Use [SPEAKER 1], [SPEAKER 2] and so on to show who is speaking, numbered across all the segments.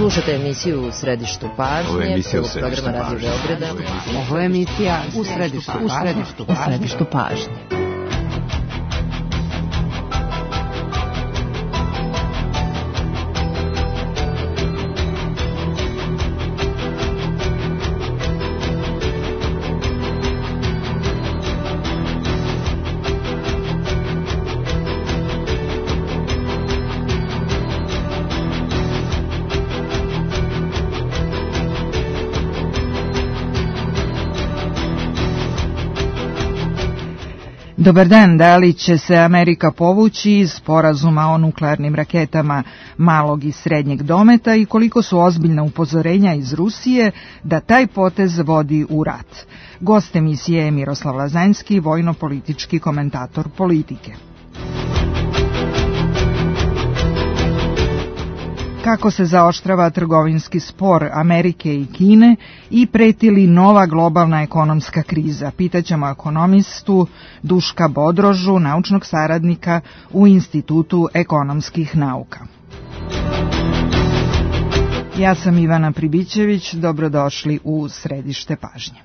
[SPEAKER 1] Slušate emisiju U središtu pažnje, prvog programa Radio Beograda.
[SPEAKER 2] Ovo je emisija U središtu pažnje.
[SPEAKER 3] Dobar dan, da li će se Amerika povući iz sporazuma o nuklearnim raketama malog i srednjeg dometa i koliko su ozbiljna upozorenja iz Rusije da taj potez vodi u rat? Gost emisije je Miroslav Lazanjski, vojno-politički komentator Politike. Kako se zaoštrava trgovinski spor Amerike i Kine i preti li nova globalna ekonomska kriza? Pitaćemo ekonomistu Duška Bodrožu, naučnog saradnika u Institutu ekonomskih nauka. Ja sam Ivana Pribićević, dobrodošli u središte pažnje.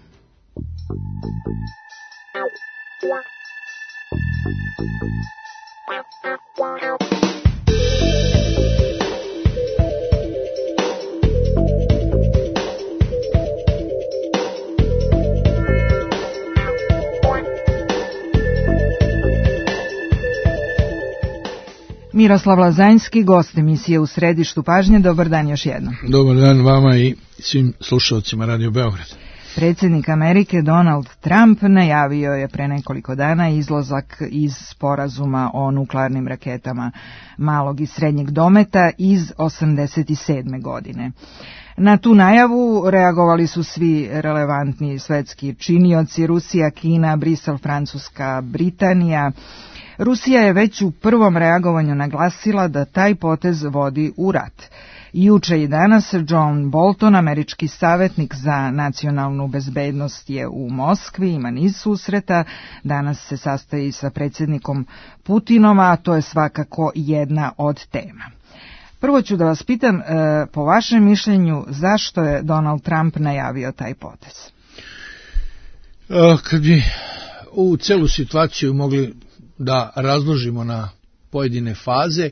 [SPEAKER 3] Miroslav Lazanjski, gost emisije U središtu pažnje. Dobar dan još jednom.
[SPEAKER 4] Dobar dan vama i svim slušalcima Radio Beograd.
[SPEAKER 3] Predsjednik Amerike Donald Trump najavio je pre nekoliko dana izlazak iz sporazuma o nuklearnim raketama malog i srednjeg dometa iz 1987. godine. Na tu najavu reagovali su svi relevantni svetski činioci: Rusija, Kina, Brisel, Francuska, Britanija. Rusija je već u prvom reagovanju naglasila da taj potez vodi u rat. Juče i danas John Bolton, američki savjetnik za nacionalnu bezbednost, je u Moskvi, ima niz susreta. Danas se sastaji sa predsjednikom Putinom, a to je svakako jedna od tema. Prvo ću da vas pitam, po vašem mišljenju, zašto je Donald Trump najavio taj potez?
[SPEAKER 4] Kad bi ovu celu situaciju mogli da razložimo na pojedine faze,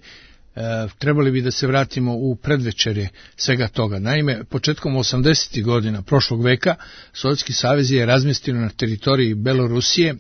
[SPEAKER 4] trebali bi da se vratimo u predvečerje svega toga. Naime, početkom 80. godina prošlog veka Sovjetski savez je razmjestio na teritoriji Belorusije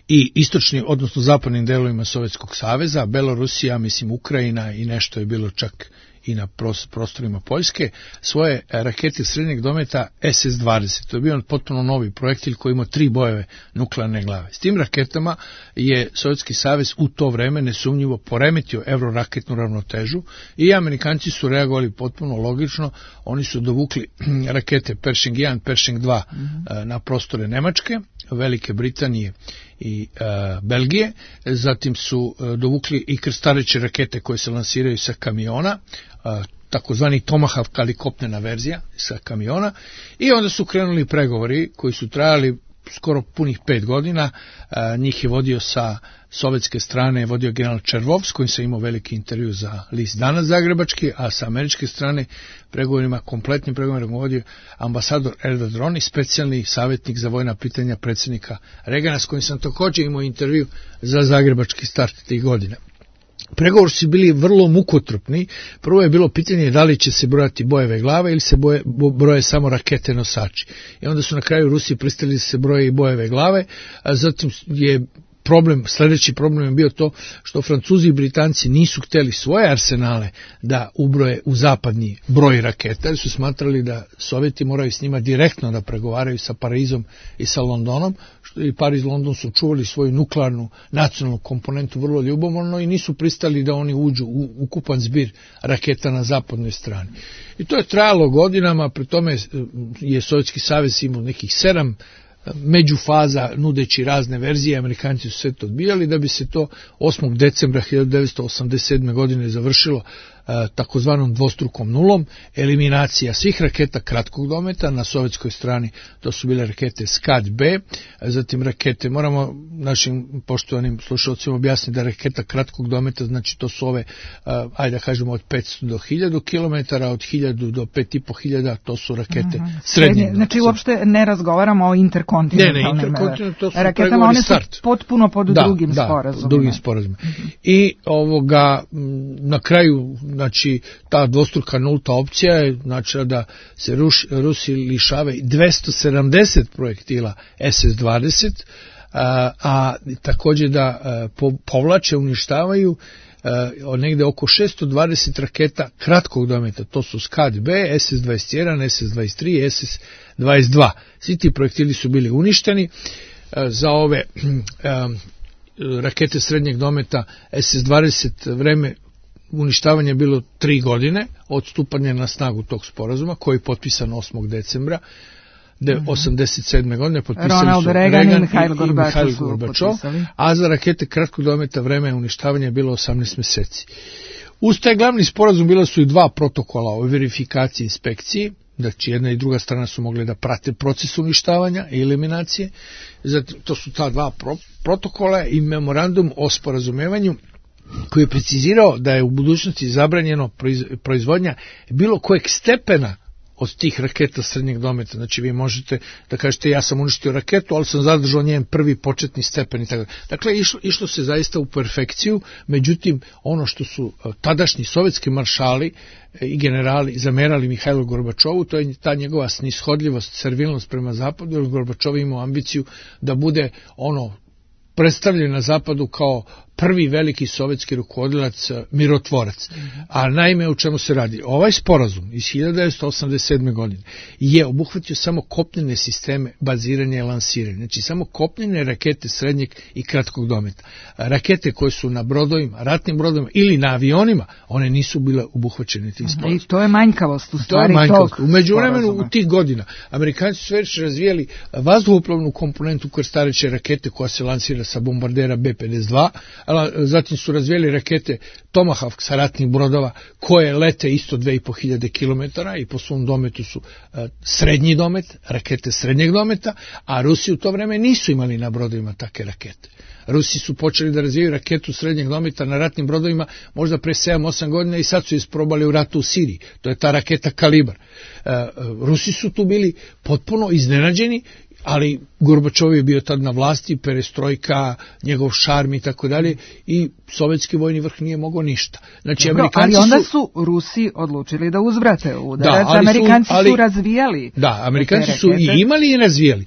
[SPEAKER 4] i istočnim, odnosno zapadnim delovima Sovjetskog saveza, Belorusija, mislim Ukrajina i nešto je bilo čak i na prostorima Poljske, svoje rakete srednjeg dometa SS-20. To je bio potpuno novi projektil koji ima 3 bojeve nuklearne glave. S tim raketama je Sovjetski savez u to vreme nesumnjivo poremetio evroraketnu ravnotežu i Amerikanci su reagovali potpuno logično. Oni su dovukli rakete Pershing 1, Pershing 2 na prostore Nemačke, Velike Britanije i Belgije, zatim su dovukli i krstareće rakete koje se lansiraju sa kamiona, takozvani Tomahawk, ali kopnena verzija sa kamiona, i onda su krenuli pregovori koji su trajali skoro punih 5 godina. Njih je vodio sa sovjetske strane, vodio general Červov, s kojim sam imao veliki intervju za list Danas zagrebački, a sa američke strane kompletnim pregovorima vodio ambasador Edward Rooney, specijalni savjetnik za vojna pitanja predsjednika Reagana, s kojim sam također imao intervju za zagrebački start tih godina. Pregovori su bili vrlo mukotrpni. Prvo je bilo pitanje da li će se brojati bojeve glave ili se broje samo rakete nosači. I onda su na kraju Rusi pristali da se broje i bojeve glave, a zatim je sljedeći problem je bio to što Francuzi i Britanci nisu htjeli svoje arsenale da ubroje u zapadni broj raketa, jer su smatrali da Sovjeti moraju s njima direktno da pregovaraju sa Parizom i sa Londonom, što i Pariz i London su čuvali svoju nuklearnu nacionalnu komponentu vrlo ljubomorno i nisu pristali da oni uđu u ukupan zbir raketa na zapadnoj strani. I to je trajalo godinama, pri tome je Sovjetski savez imao nekih 7 međufaza nudeći razne verzije, Amerikanci su sve to odbijali, da bi se to 8. decembra 1987. godine završilo takozvanom dvostrukom nulom, eliminacija svih raketa kratkog dometa, na sovjetskoj strani to su bile rakete Scud-B, zatim rakete, moramo našim poštovanim slušalcima objasniti da raketa kratkog dometa, znači to su ove, ajde da kažemo od 500 do 1000 km, od 1000 do 5500, to su rakete srednje.
[SPEAKER 3] Znači uopšte ne razgovaramo o interkontinentalnim raketama, one su potpuno pod drugim sporazumima.
[SPEAKER 4] Drugim sporazumima. I na kraju, znači ta dvostruka nulta opcija je znači da se Rusi lišave 270 projektila SS-20, a također da povlače, uništavaju negde oko 620 raketa kratkog dometa, to su Scud-B, SS-21, SS-23, SS-22. Svi ti projektili su bili uništeni. Za ove rakete srednjeg dometa SS-20 vreme uništavanje je bilo 3 godine od stupanja na snagu tog sporazuma, koji je potpisan 8. decembra 1987. godine, potpisali
[SPEAKER 3] Ronald
[SPEAKER 4] su
[SPEAKER 3] Reagan i
[SPEAKER 4] Mihail
[SPEAKER 3] Gorbačov,
[SPEAKER 4] a za rakete kratkog dometa vreme uništavanja je bilo 18 meseci. Uz taj glavni sporazum bila su i 2 protokola o verifikaciji i inspekciji, znači jedna i druga strana su mogli da prate proces uništavanja i eliminacije. Zatim, to su ta 2 protokola i memorandum o sporazumevanju koji je precizirao da je u budućnosti zabranjeno proizvodnja bilo kojeg stepena od tih raketa srednjeg dometa. Znači vi možete da kažete ja sam uništio raketu, ali sam zadržao njen prvi početni stepen i tako. Dakle, išlo se zaista u perfekciju, međutim ono što su tadašnji sovjetski maršali i generali zamerali Mihajlu Gorbačovu, to je ta njegova snishodljivost, servilnost prema zapadu, jer Gorbačov imao ambiciju da bude predstavljen na zapadu kao prvi veliki sovjetski rukovodilac, mirotvorac. A naime, u čemu se radi? Ovaj sporazum iz 1987. godine je obuhvatio samo kopnene sisteme baziranja i lansiranja. Znači, samo kopnene rakete srednjeg i kratkog dometa. Rakete koje su na brodovima, ratnim brodovima ili na avionima, one nisu bile obuhvaćene tim sporazumom.
[SPEAKER 3] I to je manjkavost u stvari tog
[SPEAKER 4] u međuvremenu u tih godina Amerikanci su već razvijali vazduhoplovnu komponentu krstareće rakete koja se lansira sa bombardera B-52, zatim su razvijeli rakete Tomahawk sa ratnih brodova koje lete isto 2500 km i po svom dometu su srednji domet, rakete srednjeg dometa, a Rusi u to vreme nisu imali na brodovima takve rakete. Rusi su počeli da razvijaju raketu srednjeg dometa na ratnim brodovima možda pre 7-8 godina i sad su isprobali u ratu u Siriji. To je ta raketa Kalibar. Rusi su tu bili potpuno iznenađeni, ali Gorbačov je bio tad na vlasti, perestrojka, njegov šarm i tako dalje, i sovjetski vojni vrh nije mogao ništa. Znači,
[SPEAKER 3] ali onda su Rusi odlučili da uzvrate udarac, Amerikanci su razvijali.
[SPEAKER 4] Da, Amerikanci su i imali i razvijali.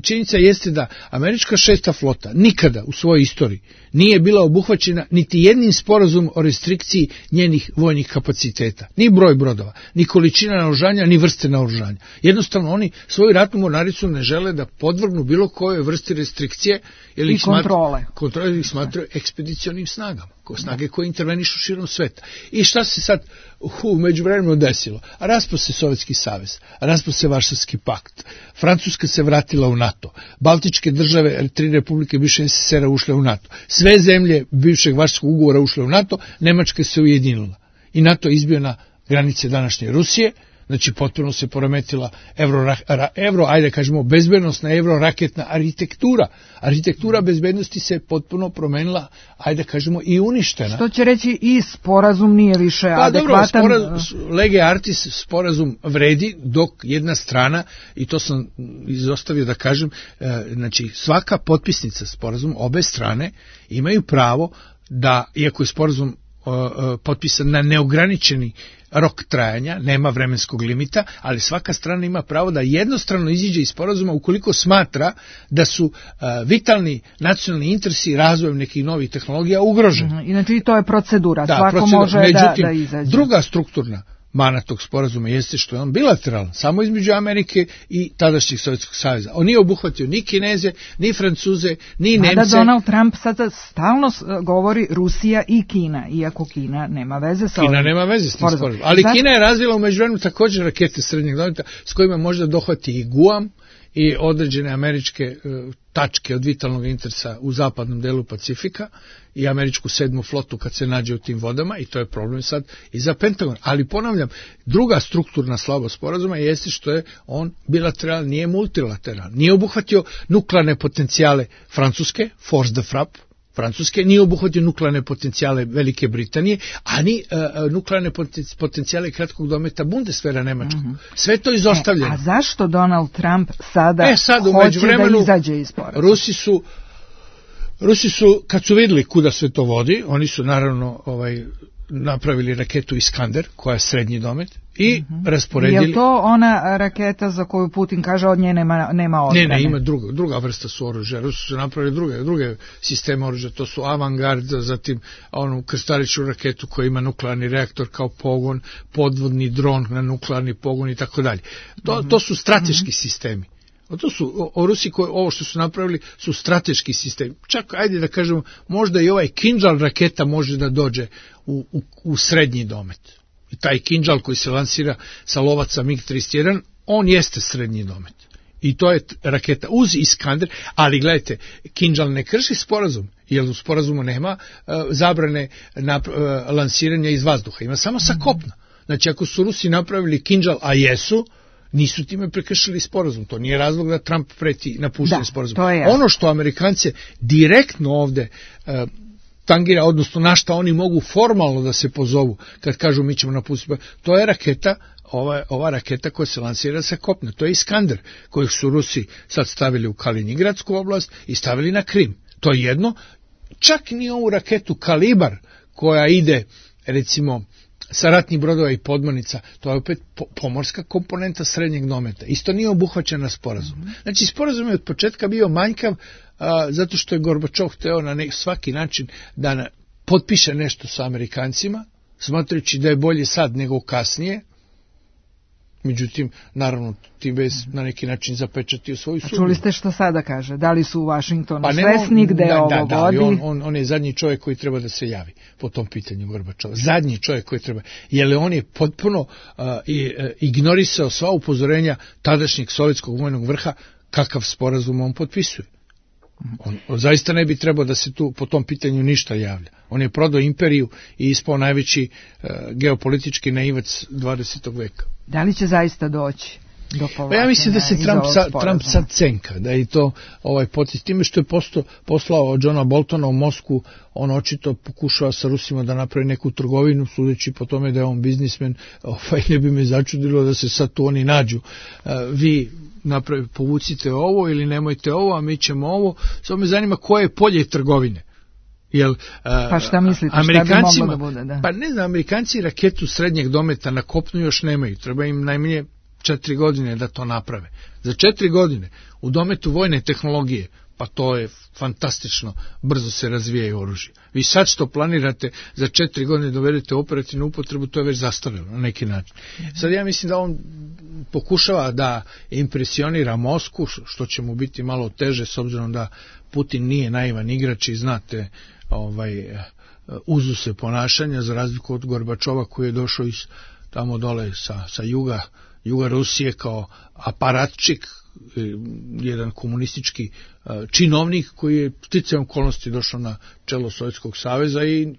[SPEAKER 4] Činjenica jeste da američka 6. flota nikada u svojoj istoriji nije bila obuhvaćena niti jednim sporazumom o restrikciji njenih vojnih kapaciteta. Ni broj brodova, ni količina naoružanja, ni vrste naoružanja. Jednostavno oni svoju ratnu mornaricu ne žele da podvrgnu bilo koje vrsti restrikcije ili ih smatraju ekspedicionim snagama, snage koje intervenišu širom sveta. I šta se sad u međuvremenu desilo? Raspao se Sovjetski savez, raspao se Varšavski pakt, Francuska se vratila u NATO, Baltičke države, 3 republike bivšeg SSSR-a ušle u NATO, sve zemlje bivšeg Varšavskog ugovora ušle u NATO, Nemačka se ujedinila i NATO izbio na granice današnje Rusije. Znači, potpuno se poremetila ajde kažemo, bezbednostna evroraketna arhitektura. Arhitektura bezbednosti se potpuno promenila, ajde kažemo, i uništena.
[SPEAKER 3] Što će reći i sporazum nije više adekvatan?
[SPEAKER 4] Lege artis sporazum vredi, dok jedna strana, i to sam izostavio da kažem, znači svaka potpisnica sporazum, obe strane imaju pravo da, iako je sporazum potpisan na neograničeni rok trajanja, nema vremenskog limita, ali svaka strana ima pravo da jednostrano iziđe iz sporazuma ukoliko smatra da su vitalni nacionalni interesi razvojem nekih novih tehnologija ugroženi.
[SPEAKER 3] Znači i to je procedura, svako može da izađe.
[SPEAKER 4] Druga strukturna mana tog sporazuma jeste što je on bilateralan, samo između Amerike i tadašnjeg Sovjetskog saveza. On nije obuhvatio ni Kineze, ni Francuze, ni Nemce.
[SPEAKER 3] Da Donald Trump sada stalno govori Rusija i Kina, iako Kina nema veze sa
[SPEAKER 4] Kina nema veze s tim sporazumom. Ali Kina je razvila u međuvremenu također rakete srednjeg dometa s kojima može da dohvati i Guam, i određene američke tačke od vitalnog interesa u zapadnom delu Pacifika i američku 7. flotu kad se nađe u tim vodama, i to je problem sad i za Pentagon. Ali ponavljam, druga strukturna slabost sporazuma jeste što je on bilateralan, nije multilateralan. Nije obuhvatio nuklearne potencijale Francuske, force de frappe Francuske, nije obuhvatio nuklearne potencijale Velike Britanije, a ni nuklearne potencijale kratkog dometa Bundeswehra nemačkog. Sve to izostavljeno.
[SPEAKER 3] A zašto Donald Trump sada hoće da izađe iz sporazuma?
[SPEAKER 4] Rusi su, kad su vidjeli kuda sve to vodi, oni su naravno napravili raketu Iskander, koja je srednji domet, i rasporedili...
[SPEAKER 3] Je to ona raketa za koju Putin kaže od nje nema odbrane?
[SPEAKER 4] Ne, ima druga vrsta su oružja. Rusi su napravili druge sisteme oružja, to su Avangard, zatim onu krstaričnu raketu koja ima nuklearni reaktor kao pogon, podvodni dron na nuklearni pogon i tako dalje. To su strateški sistemi. To su Rusi, ovo što su napravili su strateški sistemi. Čak, ajde da kažemo, možda i ovaj Kinžal raketa može da dođe u srednji domet. I taj Kinžal koji se lansira sa lovaca MiG-31, on jeste srednji domet. I to je raketa uz Iskander, ali gledajte, Kinžal ne krši sporazum, jer u sporazumu nema zabrane lansiranja iz vazduha, ima samo sa kopna. Znači, ako su Rusi napravili Kinžal, a jesu, nisu time prekršili sporazum. To nije razlog da Trump preti napuštenje sporazuma. Ono što Amerikance direktno ovde tangira, odnosno na šta oni mogu formalno da se pozovu kad kažu mi ćemo napustiti, to je raketa, ova raketa koja se lansira sa kopna. To je Iskander, kojih su Rusi sad stavili u Kaliningradsku oblast i stavili na Krim. To je jedno. Čak ni ovu raketu Kalibar koja ide, recimo, sa ratnih brodova i podmornica, to je opet pomorska komponenta srednjeg dometa. Isto nije obuhvaćena sporazum. Znači, sporazum je od početka bio manjkav zato što je Gorbačov hteo na svaki način da potpiše nešto sa Amerikancima, smatrajući da je bolje sad nego kasnije. Međutim, naravno, ti bez na neki način zapečatio svoju sudbinu.
[SPEAKER 3] Čuli ste što sada kaže? Da li su u Washingtonu svesni gde ovo vodi?
[SPEAKER 4] On je zadnji čovjek koji treba da se javi po tom pitanju Gorbačova. Zadnji čovjek koji treba. Jer on je potpuno ignorisao sva upozorenja tadašnjeg sovjetskog vojnog vrha kakav sporazum on potpisuje. On zaista ne bi trebao da se tu po tom pitanju ništa javlja. On je prodao imperiju i ispao najveći geopolitički naivac 20. veka.
[SPEAKER 3] Da li će zaista doći do povlačenja?
[SPEAKER 4] Ja mislim da se Trump sad cenka, da je to potez time što je poslao Johna Boltona u Moskvu, on očito pokušava sa Rusima da napravi neku trgovinu, sudeći po tome da je on biznismen, ne bi me začudilo da se sad tu oni nađu. Vi povucite ovo ili nemojte ovo, a mi ćemo ovo. Samo me zanima koje je polje trgovine.
[SPEAKER 3] Pa šta mislite, šta bi moglo da bude? Da?
[SPEAKER 4] Pa ne znam, Amerikanci raketu srednjeg dometa na kopnu još nemaju. Treba im najmanje 4 godine da to naprave. Za 4 godine u dometu vojne tehnologije, pa to je fantastično, brzo se razvijaju oružje. Vi sad što planirate za 4 godine dovedete operativnu upotrebu, to je već zastarelo na neki način. Sad ja mislim da on pokušava da impresionira Moskvu, što će mu biti malo teže s obzirom da Putin nije naivan igrač i znate uzuse ponašanja, za razliku od Gorbačova koji je došao iz tamo dole sa juga Rusije kao aparatčik, jedan komunistički činovnik koji je sticajem okolnosti došao na čelo Sovjetskog saveza i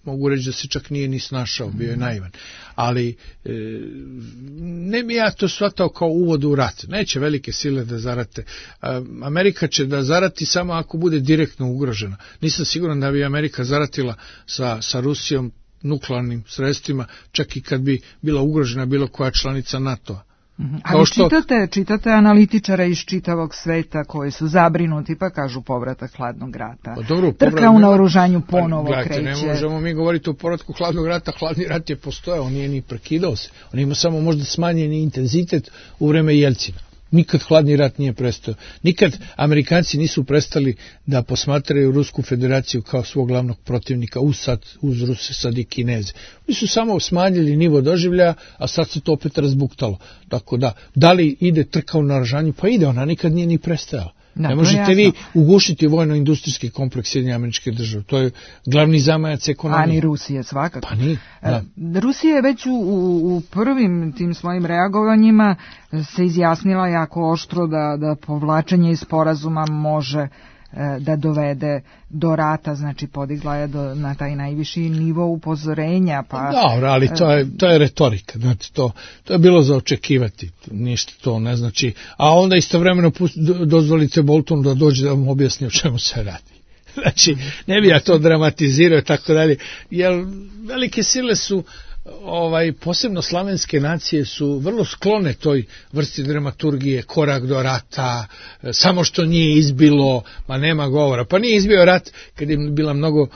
[SPEAKER 4] mogu reći da se čak nije ni snašao, bio je naivan. Ali ne bi ja to shvatao kao uvod u rat. Neće velike sile da zarate. Amerika će da zarati samo ako bude direktno ugrožena. Nisam siguran da bi Amerika zaratila sa Rusijom nuklearnim sredstvima, čak i kad bi bila ugrožena bilo koja članica NATO-a.
[SPEAKER 3] Ali čitate analitičara iz čitavog sveta koji su zabrinuti pa kažu povratak hladnog rata. Trka u naoružanju ponovo kreće.
[SPEAKER 4] Ne možemo mi govoriti o povratku hladnog rata, hladni rat je postojao, on nije ni prekidao se. On ima samo možda smanjeni intenzitet u vreme Jelcina. Nikad hladni rat nije prestao. Nikad Amerikanci nisu prestali da posmatraju Rusku federaciju kao svog glavnog protivnika uz Ruse, sad i Kineze. Oni su samo smanjili nivo doživljaja, a sad se to opet razbuktalo. Tako da li ide trka u naoružanju? Pa ide, ona nikad nije ni prestajala. Ne možete vi ugušiti vojno-industrijski kompleks Sjedinjenih Američkih Država. To je glavni zamajac ekonomije.
[SPEAKER 3] A ni Rusije svakako.
[SPEAKER 4] Pa ni.
[SPEAKER 3] Rusija je već u prvim tim svojim reagovanjima se izjasnila jako oštro da povlačenje iz sporazuma može da dovede do rata, znači podigla je na taj najviši nivo upozorenja. Pa,
[SPEAKER 4] dobro, ali to je retorika, znači to je bilo za očekivati, ništa to ne znači, a onda istovremeno dozvolite Boltonu da dođe da vam objasni o čemu se radi. Znači, ne bi ja to dramatizirao i tako dalje, jer velike sile su, posebno slavenske nacije su vrlo sklone toj vrsti dramaturgije, korak do rata, samo što nije izbilo, ma nema govora. Pa nije izbio rat kad je bila mnogo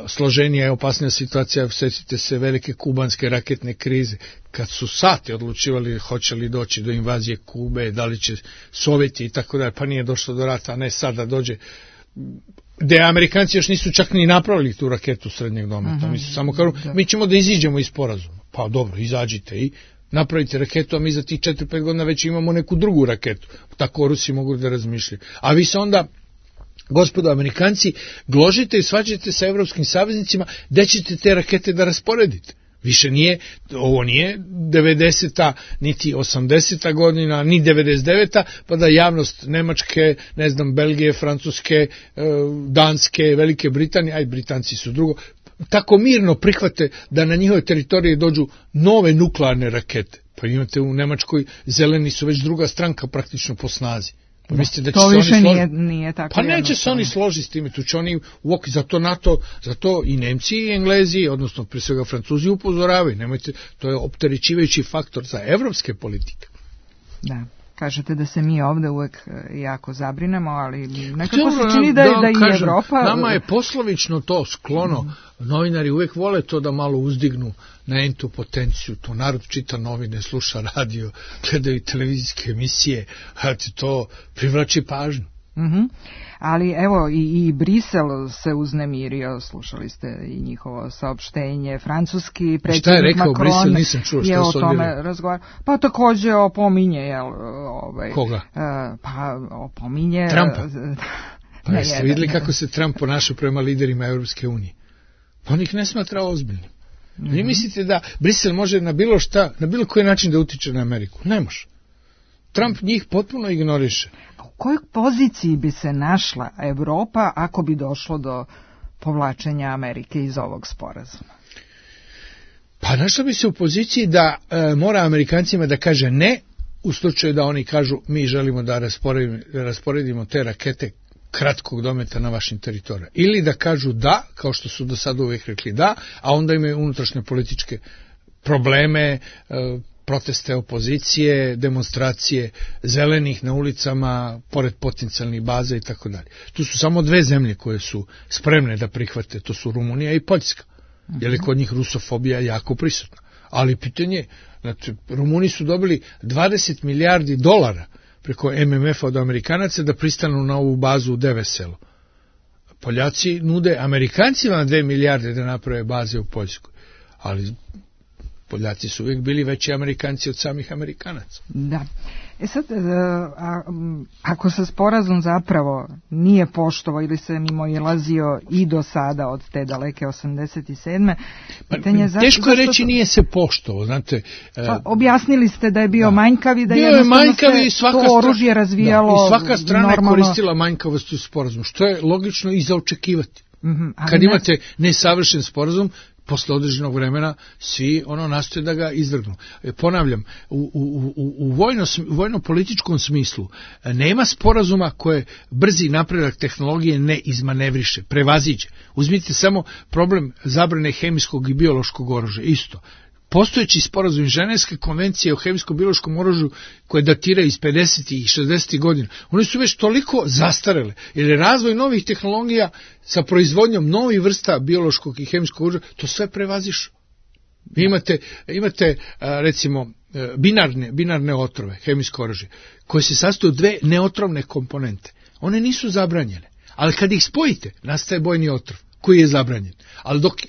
[SPEAKER 4] složenija i opasnija situacija, sjetite se velike kubanske raketne krize, kad su sati odlučivali hoće li doći do invazije Kube, da li će Sovjeti i tako dalje, pa nije došlo do rata, a ne sada dođe, gdje Amerikanci još nisu čak ni napravili tu raketu srednjeg dometa. Mi su samo kažu, mi ćemo da iziđemo iz sporazuma. Pa dobro, izađite i napravite raketu, a mi za tih 4-5 godina već imamo neku drugu raketu. Tako Rusi mogu da razmišljaju. A vi se onda, gospodo Amerikanci, gložite i svađate sa evropskim saveznicima, gde ćete te rakete da rasporedite. Više nije, ovo nije 90. niti 80. godina, ni 99. pa da javnost Nemačke, ne znam, Belgije, Francuske, Danske, Velike Britanije, aj Britanci su drugo, tako mirno prihvate da na njihove teritorije dođu nove nuklearne rakete. Pa imate u Nemačkoj, zeleni su već druga stranka praktično po snazi. Pa mislite da će
[SPEAKER 3] to
[SPEAKER 4] se
[SPEAKER 3] više
[SPEAKER 4] oni
[SPEAKER 3] nije tako.
[SPEAKER 4] Pa neće se oni složiti s time, tu će oni zato NATO, zato i Nemci i Englezi, odnosno prije svega Francuzi upozoravaju, nemojte, to je opterećivajući faktor za evropske politike.
[SPEAKER 3] Da. Kažete da se mi ovdje uvek jako zabrinemo, ali nekako se čini da i Evropa...
[SPEAKER 4] Nama je poslovično to sklono, novinari uvek vole to da malo uzdignu na entu potenciju, to narod čita novine, sluša radio, gledaju televizijske emisije, a to privlači pažnju.
[SPEAKER 3] Ali evo i Brisel se uznemirio, slušali ste i njihovo saopštenje, francuski predsjednik Macron je o tome razgovarao. Pa također opominje,
[SPEAKER 4] koga?
[SPEAKER 3] Pa opominje...
[SPEAKER 4] Trumpa? Pa jeste vidjeli kako se Trump ponaša prema liderima Europske unije? On ih ne smatra ozbiljnim. Vi mislite da Brisel može na bilo šta, na bilo koji način da utiče na Ameriku? Ne može. Trump njih potpuno ignoriše.
[SPEAKER 3] U kojoj poziciji bi se našla Evropa ako bi došlo do povlačenja Amerike iz ovog sporazuma?
[SPEAKER 4] Pa našla bi se u poziciji da mora Amerikancima da kaže ne, u slučaju da oni kažu mi želimo da rasporedimo te rakete kratkog dometa na vašim teritorijama. Ili da kažu da, kao što su do sada uvijek rekli da, a onda imaju unutrašnje političke probleme, proteste opozicije, demonstracije zelenih na ulicama, pored potencijalnih baza i tako dalje. Tu su samo dve zemlje koje su spremne da prihvate, to su Rumunija i Poljska, jer je kod njih rusofobija jako prisutna. Ali pitanje, znači, Rumuni su dobili 20 milijardi dolara preko MMF-a od Amerikanaca da pristanu na ovu bazu u Deveselu. Poljaci nude Amerikancima 2 milijarde da naprave baze u Poljskoj, ali Poljaci su uvijek bili veći Amerikanci od samih Amerikanaca.
[SPEAKER 3] Da. Sad, ako se sporazum zapravo nije poštovao ili se mimoilazio i do sada od te daleke 87. pitanje
[SPEAKER 4] teško je reći nije se poštovao, znate.
[SPEAKER 3] Objasnili ste da je bio manjkav i da jednostavno se to oružje razvijalo.
[SPEAKER 4] I svaka strana je koristila manjkavost u sporazumu, što je logično i za očekivati. Kad imate nesavršen sporazum, posle određenog vremena svi nastoje da ga izvrgnu. Ponavljam, u vojno-političkom smislu nema sporazuma koje brzi napredak tehnologije ne izmanevriše, prevaziđe. Uzmite samo problem zabrane hemijskog i biološkog oružja, isto. Postojeći sporazum Ženevske konvencije o hemijsko-biološkom oružju koje datira iz 50. i 60. godina, one su već toliko zastarele, jer je razvoj novih tehnologija sa proizvodnjom novih vrsta biološkog i hemijskog oružja, to sve prevazišu. Vi imate recimo binarne otrove, hemijsko oružje, koje se sastoje od dve neotrovne komponente. One nisu zabranjene, ali kad ih spojite, nastaje bojni otrov. koji je zabranjen.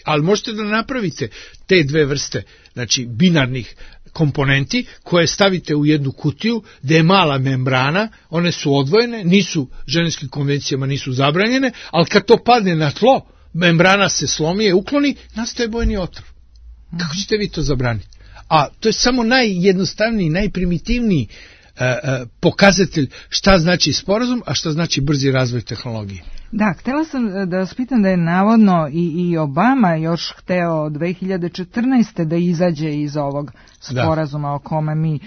[SPEAKER 4] Ali možete da napravite te dve vrste, znači binarnih komponenti koje stavite u jednu kutiju gde je mala membrana, one su odvojene, nisu ženskim konvencijama nisu zabranjene, ali kad to padne na tlo, membrana se slomi i ukloni, nastaje bojni otrov. Kako ćete vi to zabraniti? A to je samo najjednostavniji, najprimitivniji pokazatelj šta znači sporazum, a šta znači brzi razvoj tehnologije.
[SPEAKER 3] Da, htjela sam da vas pitam da je navodno i Obama još hteo 2014. da izađe iz ovog sporazuma o kome mi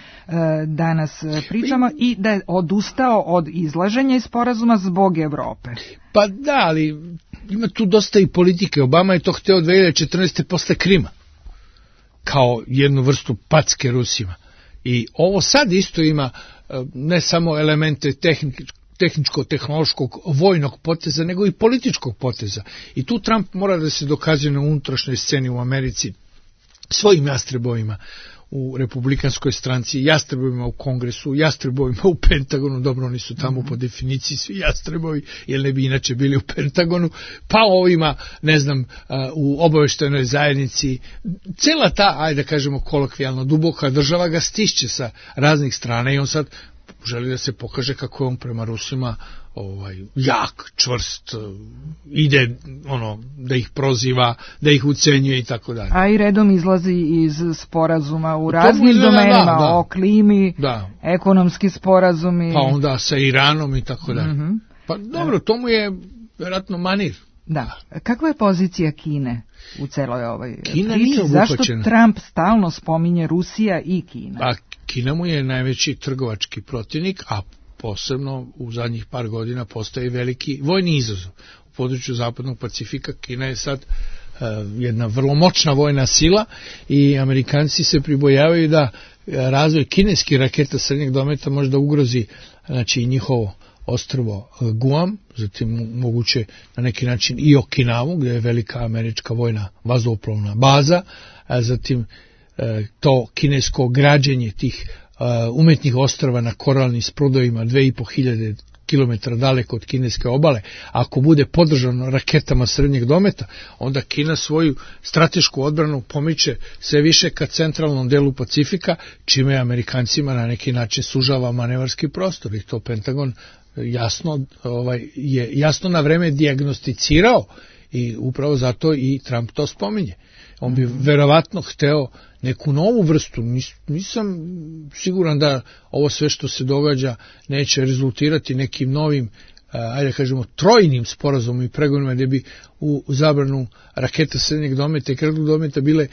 [SPEAKER 3] danas pričamo i da je odustao od izlaženja iz sporazuma zbog Evrope.
[SPEAKER 4] Pa da, ali ima tu dosta i politike. Obama je to hteo 2014. posle Krima, kao jednu vrstu packe Rusima. I ovo sad isto ima ne samo elemente tehničko-tehnološkog vojnog poteza, nego i političkog poteza. I tu Trump mora da se dokazuje na unutrašnjoj sceni u Americi svojim jastrebovima u republikanskoj stranci, jastrebovima u Kongresu, jastrebovima u Pentagonu, dobro, oni su tamo po definiciji svi jastrebovi, jer ne bi inače bili u Pentagonu, pa ovima, ne znam, u obaveštajnoj zajednici, cela ta, ajde da kažemo kolokvijalno, duboka država ga stišće sa raznih strana i on sad želi da se pokaže kako je on prema Rusima jak, čvrst, ide da ih proziva, da ih ucenjuje i tako dalje.
[SPEAKER 3] A i redom izlazi iz sporazuma u raznim domenima, o klimi, ekonomski sporazumi.
[SPEAKER 4] Pa onda sa Iranom i tako dalje. Pa dobro, to mu je vjerojatno manir.
[SPEAKER 3] Da. Kakva je pozicija Kine u celoj ovoj
[SPEAKER 4] Kina
[SPEAKER 3] priči?
[SPEAKER 4] Nije
[SPEAKER 3] zašto Trump stalno spominje Rusija i Kina?
[SPEAKER 4] Pa Kina mu je najveći trgovački protivnik, a posebno u zadnjih par godina postaje veliki vojni izazov. U području Zapadnog Pacifika Kina je sad jedna vrlo moćna vojna sila i Amerikanci se pribojavaju da razvoj kineskih raketa srednjeg dometa može da ugrozi njihovo ostrvo Guam, zatim moguće na neki način i Okinavu, gdje je velika američka vojna vazduhoplovna baza, a zatim to kinesko građenje tih umetnih ostrva na koralnim sprudovima 2500 km daleko od kineske obale, ako bude podržano raketama srednjeg dometa, onda Kina svoju stratešku odbranu pomiče sve više ka centralnom delu Pacifika, čime Amerikancima na neki način sužava manevarski prostor i to Pentagon je jasno na vreme dijagnosticirao i upravo zato i Trump to spominje. On bi verovatno hteo neku novu vrstu, nisam siguran da ovo sve što se događa neće rezultirati nekim novim, ajde kažemo, trojnim sporazumom i pregovorima gdje bi u zabranu raketa srednjeg dometa i kratkog dometa bile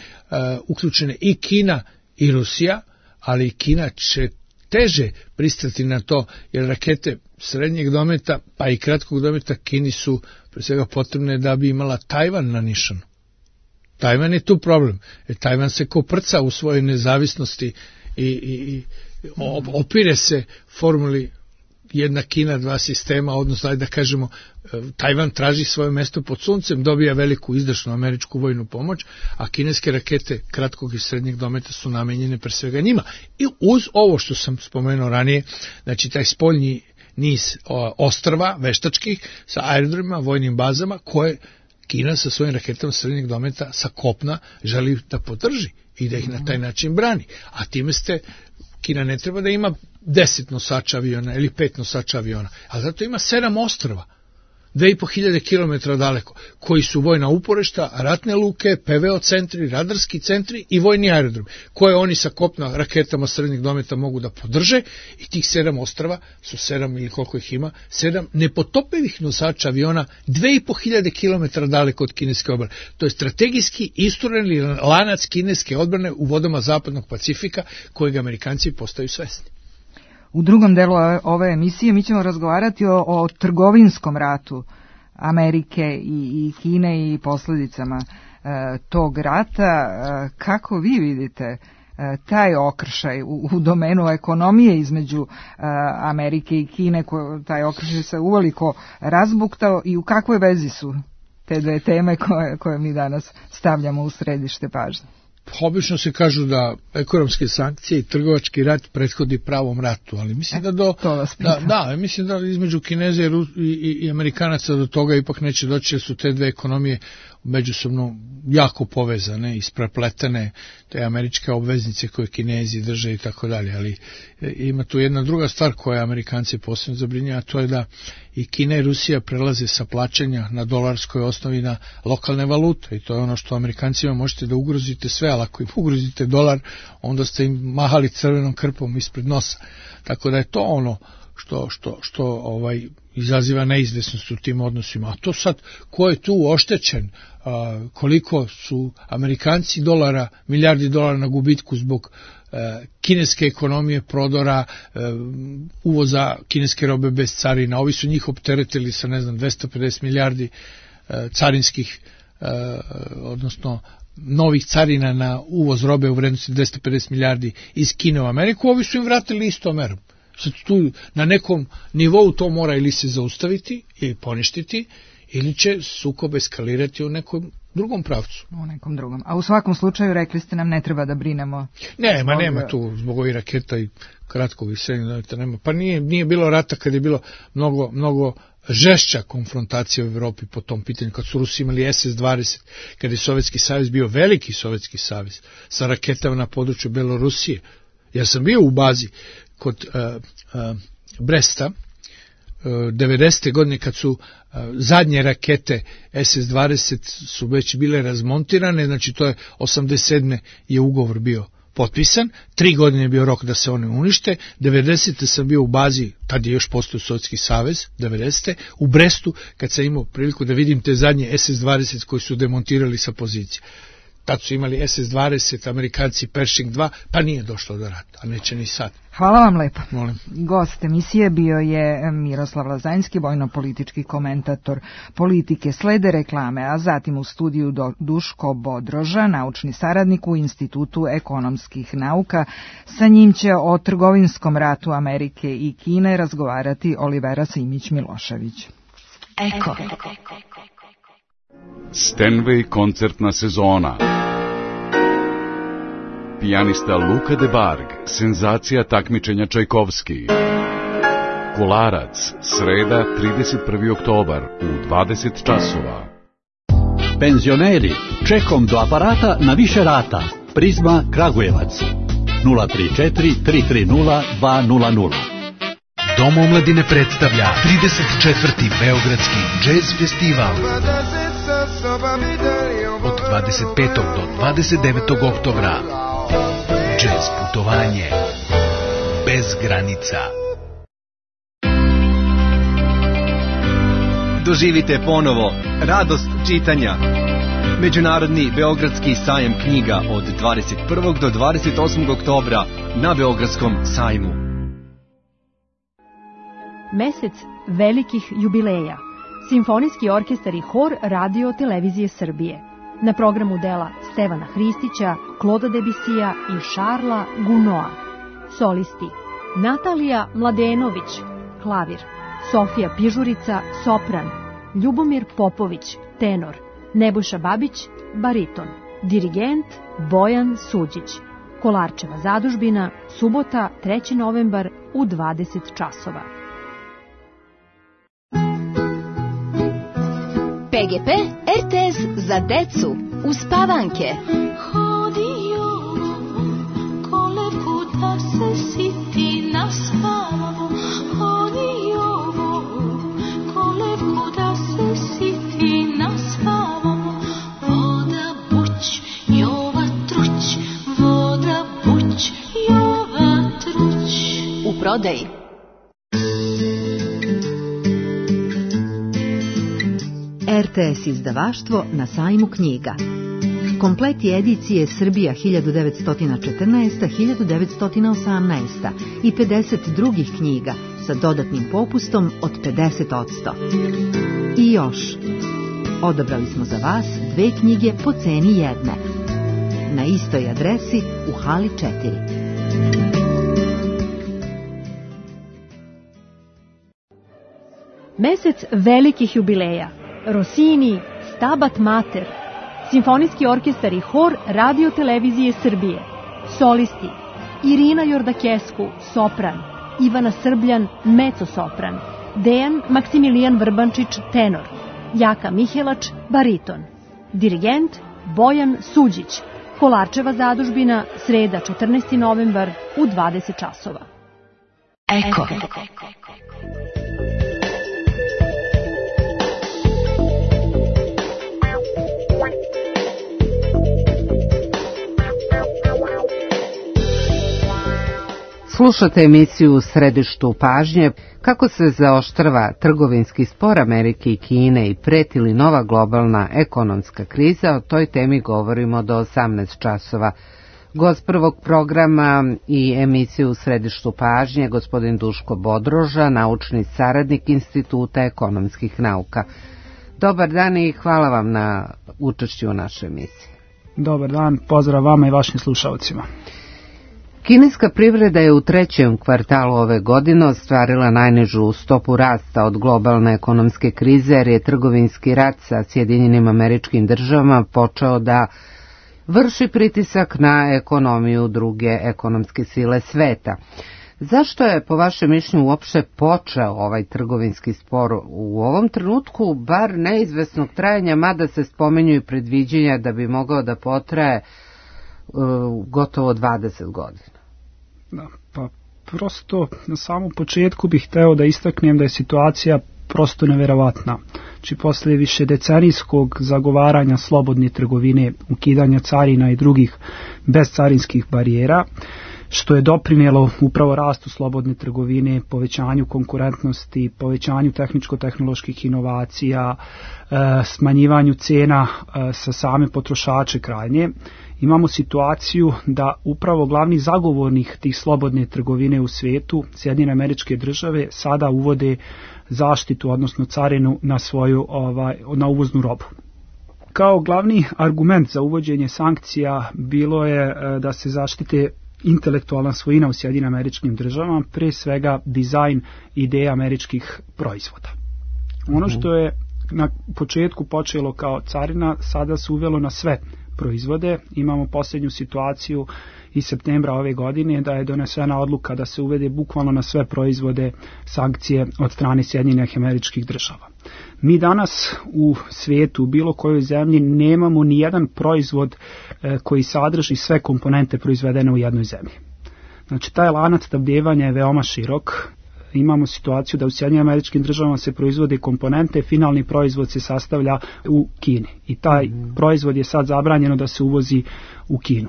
[SPEAKER 4] uključene i Kina i Rusija, ali Kina će teže pristati na to, jer rakete srednjeg dometa pa i kratkog dometa Kini su pre svega potrebne da bi imala Tajvan na nišanu. Tajvan je tu problem, jer Tajvan se koprca u svojoj nezavisnosti i opire se formuli jedna Kina, dva sistema, odnosno da kažemo Tajvan traži svoje mesto pod suncem, dobija veliku izdašnu američku vojnu pomoć, a kineske rakete kratkog i srednjeg dometa su namenjene pre svega njima. I uz ovo što sam spomenuo ranije, znači taj spoljni niz ostrva veštačkih sa aerodromima, vojnim bazama koje Kina sa svojim raketama srednjeg dometa sa kopna želi da podrži i da ih na taj način brani. A time Kina ne treba da ima 10 nosača aviona ili 5 nosača aviona, ali zato ima 7 ostrva, 2500 km daleko, koji su vojna uporišta, ratne luke, PVO centri, radarski centri i vojni aerodrom, koje oni sa kopna raketama srednjeg dometa mogu da podrže i tih 7 ostrva su 7 ili koliko ih ima, 7 nepotopivih nosača aviona 2500 km daleko od kineske obale. To je strategijski istureni lanac kineske odbrane u vodama Zapadnog Pacifika kojeg Amerikanci postaju svesni.
[SPEAKER 3] U drugom delu ove emisije mi ćemo razgovarati o trgovinskom ratu Amerike i Kine i posljedicama tog rata. Kako vi vidite taj okršaj u domenu ekonomije između Amerike i Kine, taj okršaj se uveliko razbuktao i u kakvoj vezi su te dve teme koje mi danas stavljamo u središte pažnje?
[SPEAKER 4] Obično se kažu da ekonomske sankcije i trgovački rat prethodi pravom ratu, ali mislim mislim da između Kineza i Amerikanaca do toga ipak neće doći, jer su te dve ekonomije međusobno jako povezane, isprepletene, te američke obveznice koje Kinezi drže i tako dalje, ali ima tu jedna druga stvar koja Amerikanci posebno zabrinjava, a to je da i Kina i Rusija prelaze sa plaćanja na dolarskoj osnovi na lokalne valute, i to je ono što Amerikancima možete da ugrozite sve, ali ako im ugrozite dolar, onda ste im mahali crvenom krpom ispred nosa, tako da je to ono što izaziva neizvesnost u tim odnosima. A to sad, ko je tu oštećen, koliko su Amerikanci milijardi dolara na gubitku zbog kineske ekonomije, prodora, uvoza kineske robe bez carina, ovi su njih opteretili sa 250 milijardi carinskih, odnosno novih carina na uvoz robe u vrednosti 250 milijardi iz Kine u Ameriku, ovi su im vratili istom merom. Sad tu na nekom nivou to mora ili se zaustaviti ili poništiti, ili će sukob eskalirati u nekom drugom pravcu.
[SPEAKER 3] U nekom drugom. A u svakom slučaju rekli ste nam ne treba da brinemo.
[SPEAKER 4] Nema tu zbog ovih raketa i kratkog iseljenja, nema. Pa nije bilo rata kad je bilo mnogo žešća konfrontacija u Evropi po tom pitanju, kad su Rusi imali SS-20, kad je Sovjetski savez bio veliki Sovjetski savez sa raketama na području Belorusije. Ja sam bio u bazi kod Bresta 90. godine, kad su zadnje rakete SS-20 su već bile razmontirane, znači to je 87. je ugovor bio potpisan, 3 godine je bio rok da se one unište, 90. sam bio u bazi, tad je još postao Sovjetski savez, 90. u Brestu, kad sam imao priliku da vidim te zadnje SS-20 koji su demontirali sa pozicije. Tad su imali SS-20, Amerikanci Pershing 2, pa nije došlo do rata, a neće ni sad.
[SPEAKER 3] Hvala vam lepo.
[SPEAKER 4] Molim.
[SPEAKER 3] Gost emisije bio je Miroslav Lazanjski, vojno-politički komentator politike. Slede reklame, a zatim u studiju Duško Bodroža, naučni saradnik u Institutu ekonomskih nauka. Sa njim će o trgovinskom ratu Amerike i Kine razgovarati Olivera Simić-Milošević.
[SPEAKER 5] Eko. Stenway koncertna sezona. Pijanista Luka de Barg, senzacija takmičenja Čajkovski. Kolarac, sreda 31. oktobar u 20 časova.
[SPEAKER 6] Penzioneri, čekom do aparata na više rata. Prizma Kragujevac 034 330 200.
[SPEAKER 7] Dom omladine predstavlja 34. Beogradski džez festival. Od 25. do 29. oktobra. Džez putovanje bez granica.
[SPEAKER 8] Doživite ponovo radost čitanja. Međunarodni Beogradski sajam knjiga od 21. do 28. oktobra na Beogradskom sajmu.
[SPEAKER 9] Mesec velikih jubileja. Simfonijski orkestar i hor Radio Televizije Srbije. Na programu dela Stevana Hristića, Kloda Debisija i Šarla Gunoa. Solisti: Natalija Mladenović, klavir; Sofija Pižurica, sopran; Ljubomir Popović, tenor; Nebojša Babić, bariton; dirigent Bojan Suđić. Kolarčeva zadužbina, subota 3. novembar u 20 časova.
[SPEAKER 10] PGP RTS za decu uspavanke.
[SPEAKER 11] Hodio kolekuda se siti naspavamo. Hodio kolekuda se siti naspavamo. Voda buć, jova truć, voda buć, jova truć.
[SPEAKER 10] U prodaji.
[SPEAKER 12] RTS izdavaštvo na sajmu knjiga. Kompleti edicije Srbija 1914-1918 i 50 drugih knjiga sa dodatnim popustom od 50%. I još, odabrali smo za vas 2 knjige po ceni jedne. Na istoj adresi u hali 4.
[SPEAKER 9] Mesec velikih jubileja. Rossini, Stabat Mater, Simfonijski orkestar i hor Radio Televizije Srbije. Solisti: Irina Jordakesku, sopran, Ivana Srbljan, mezzo-sopran, Dejan Maksimilijan Vrbančić, tenor, Jaka Mihelač, bariton. Dirigent Bojan Suđić. Kolarčeva zadužbina, sreda 14. novembar u 20 časova.
[SPEAKER 10] Eko.
[SPEAKER 2] Slušate emisiju U središtu pažnje. Kako se zaoštrava trgovinski spor Amerike i Kine i preti li nova globalna ekonomska kriza, o toj temi govorimo do 18 časova. Gost prvog programa i emisiju U središtu pažnje, gospodin Duško Bodroža, naučni saradnik Instituta ekonomskih nauka. Dobar dan i hvala vam na učešću u našoj emisiji.
[SPEAKER 13] Dobar dan, pozdrav vama i vašim slušalcima.
[SPEAKER 2] Kineska privreda je u trećem kvartalu ove godine ostvarila najnižu stopu rasta od globalne ekonomske krize, jer je trgovinski rat sa Sjedinjenim Američkim Državama počeo da vrši pritisak na ekonomiju druge ekonomske sile sveta. Zašto je, po vašem mišljenju, uopšte počeo ovaj trgovinski spor u ovom trenutku, bar neizvesnog trajanja, mada se spominju i predviđenja da bi mogao da potraje gotovo 20 godina?
[SPEAKER 13] Da, pa prosto na samom početku bih hteo da istaknem da je situacija prosto neverovatna. Znači, posle višedecenijskog zagovaranja slobodne trgovine, ukidanja carina i drugih bezcarinskih barijera, što je doprinijelo upravo rastu slobodne trgovine, povećanju konkurentnosti, povećanju tehničko-tehnoloških inovacija, smanjivanju cena sa same potrošače krajnje, imamo situaciju da upravo glavni zagovornik tih slobodne trgovine u svijetu, Sjedinjene Američke Države, sada uvode zaštitu, odnosno carinu na svoju na uvoznu robu. Kao glavni argument za uvođenje sankcija bilo je da se zaštite intelektualna svojina u Sjedinjenim Američkim Državama, pre svega dizajn ideja američkih proizvoda. Ono što je na početku počelo kao carina, sada se uvelo na sve proizvode. Imamo posljednju situaciju iz septembra ove godine da je donesena odluka da se uvede bukvalno na sve proizvode sankcije od strane Sjedinjenih Američkih Država. Mi danas u svijetu, u bilo kojoj zemlji, nemamo ni jedan proizvod koji sadrži sve komponente proizvedene u jednoj zemlji. Znači, taj lanac snabdijevanja je veoma širok. Imamo situaciju da u Sjedinjenim Američkim Državama se proizvode komponente, finalni proizvod se sastavlja u Kini i taj proizvod je sad zabranjeno da se uvozi u Kinu.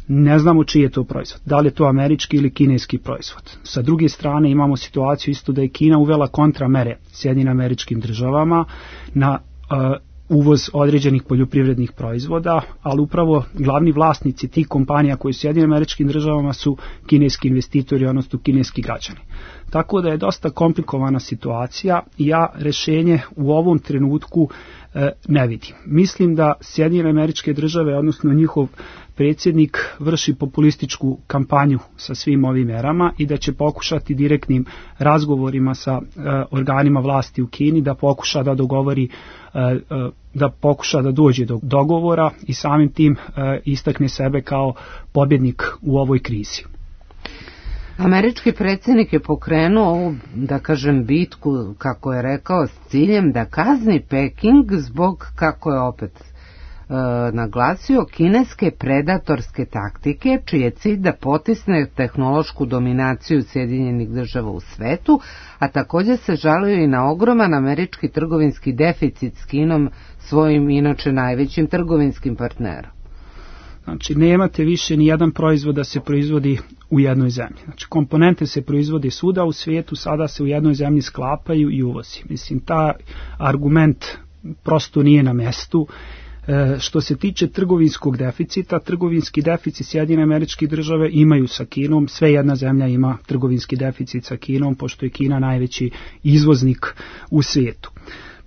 [SPEAKER 13] Ne znamo čiji je to proizvod, da li je to američki ili kineski proizvod. Sa druge strane imamo situaciju isto da je Kina uvela kontramere Sjedinjenim Američkim Državama na uvoz određenih poljoprivrednih proizvoda, ali upravo glavni vlasnici tih kompanija koji su u Sjedinjenim Američkim Državama su kineski investitori, odnosno kineski građani. Tako da je dosta komplikovana situacija i ja rješenje u ovom trenutku ne vidim. Mislim da Sjedinjene Američke Države, odnosno njihov predsjednik, vrši populističku kampanju sa svim ovim merama i da će pokušati direktnim razgovorima sa organima vlasti u Kini da pokuša da dogovori, da pokuša da dođe do dogovora i samim tim istakne sebe kao pobjednik u ovoj krizi.
[SPEAKER 2] Američki predsjednik je pokrenuo ovu, da kažem, bitku, kako je rekao, s ciljem da kazni Peking zbog, kako je opet naglasio, kineske predatorske taktike, čiji je cilj da potisne tehnološku dominaciju Sjedinjenih Država u svetu, a također se žalio i na ogroman američki trgovinski deficit s Kinom, svojim inače najvećim trgovinskim partnerom.
[SPEAKER 13] Znači, nemate više ni jedan proizvod da se proizvodi u jednoj zemlji. Znači, komponente se proizvode svuda u svijetu, sada se u jednoj zemlji sklapaju i uvozi. Mislim, ta argument prosto nije na mjestu. Što se tiče trgovinskog deficita, trgovinski deficit Sjedinjene Američke Države imaju sa Kinom, sve jedna zemlja ima trgovinski deficit sa Kinom, pošto je Kina najveći izvoznik u svijetu.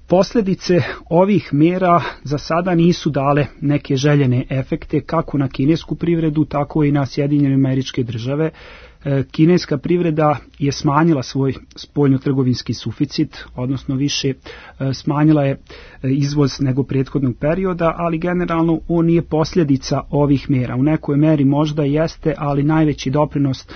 [SPEAKER 13] Posljedice ovih mjera za sada nisu dale neke željene efekte kako na kinesku privredu, tako i na Sjedinjene Američke Države. Kineska privreda je smanjila svoj spoljnotrgovinski suficit, odnosno više smanjila je izvoz nego prethodnog perioda, ali generalno on nije posljedica ovih mera. U nekoj meri možda jeste, ali najveći doprinos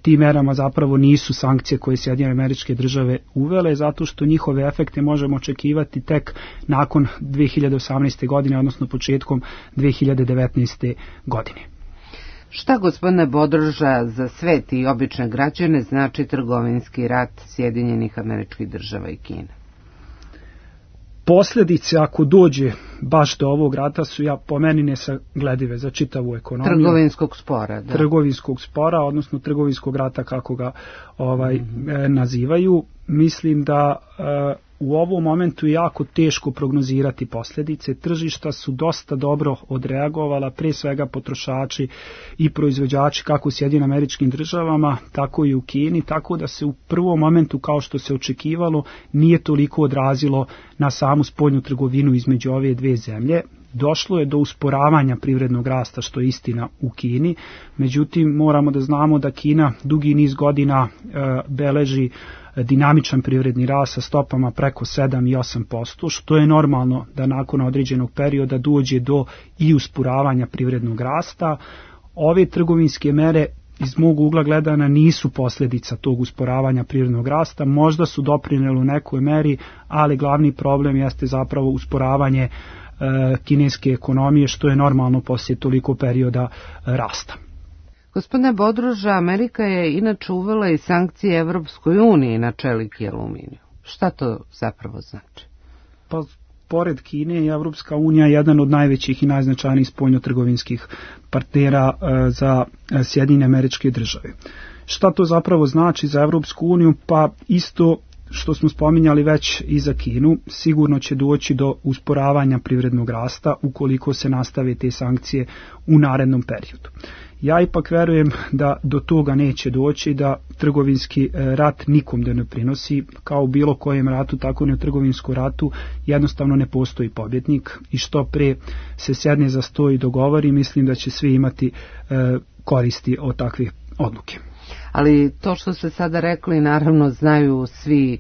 [SPEAKER 13] tim merama zapravo nisu sankcije koje Sjedinjene Američke Države uvele, zato što njihove efekte možemo očekivati tek nakon 2018. godine, odnosno početkom 2019. godine.
[SPEAKER 2] Šta, gospodine Bodroža, za svet i obične građane znači trgovinski rat Sjedinjenih Američkih Država i Kine?
[SPEAKER 13] Posljedice, ako dođe baš do ovog rata, su po meni nesagledive za čitavu ekonomiju.
[SPEAKER 2] Trgovinskog spora, da.
[SPEAKER 13] Trgovinskog spora, odnosno trgovinskog rata, kako ga nazivaju. Mislim da u ovom momentu je jako teško prognozirati posljedice. Tržišta su dosta dobro odreagovala, pre svega potrošači i proizvođači kako u Sjedinjenim Američkim Državama, tako i u Kini, tako da se u prvom momentu, kao što se očekivalo, nije toliko odrazilo na samu spoljnu trgovinu između ove dve zemlje. Došlo je do usporavanja privrednog rasta, što je istina u Kini, međutim moramo da znamo da Kina dugi niz godina beleži dinamičan privredni rast sa stopama preko 7 i 8%, što je normalno da nakon određenog perioda dođe do i usporavanja privrednog rasta. Ove trgovinske mere iz mog ugla gledana nisu posljedica tog usporavanja privrednog rasta, možda su doprinijeli u nekoj meri, ali glavni problem jeste zapravo usporavanje kineske ekonomije, što je normalno poslije toliko perioda rasta.
[SPEAKER 2] Gospodine Bodroža, Amerika je inače uvela i sankcije Evropskoj uniji na čelik i aluminiju. Šta to zapravo znači?
[SPEAKER 13] Pa, pored Kine i Evropska unija je jedan od najvećih i najznačajnijih spoljnotrgovinskih partnera za Sjedinjene Američke Države. Šta to zapravo znači za Evropsku uniju? Pa isto što smo spominjali već i za Kinu, sigurno će doći do usporavanja privrednog rasta ukoliko se nastave te sankcije u narednom periodu. Ja ipak verujem da do toga neće doći, da trgovinski rat nikom da ne prinosi, kao u bilo kojem ratu, tako i u trgovinskom ratu, jednostavno ne postoji pobjednik i što pre se sedne za sto i dogovori, mislim da će svi imati koristi od takvih odluke.
[SPEAKER 2] Ali to što ste sada rekli, naravno znaju svi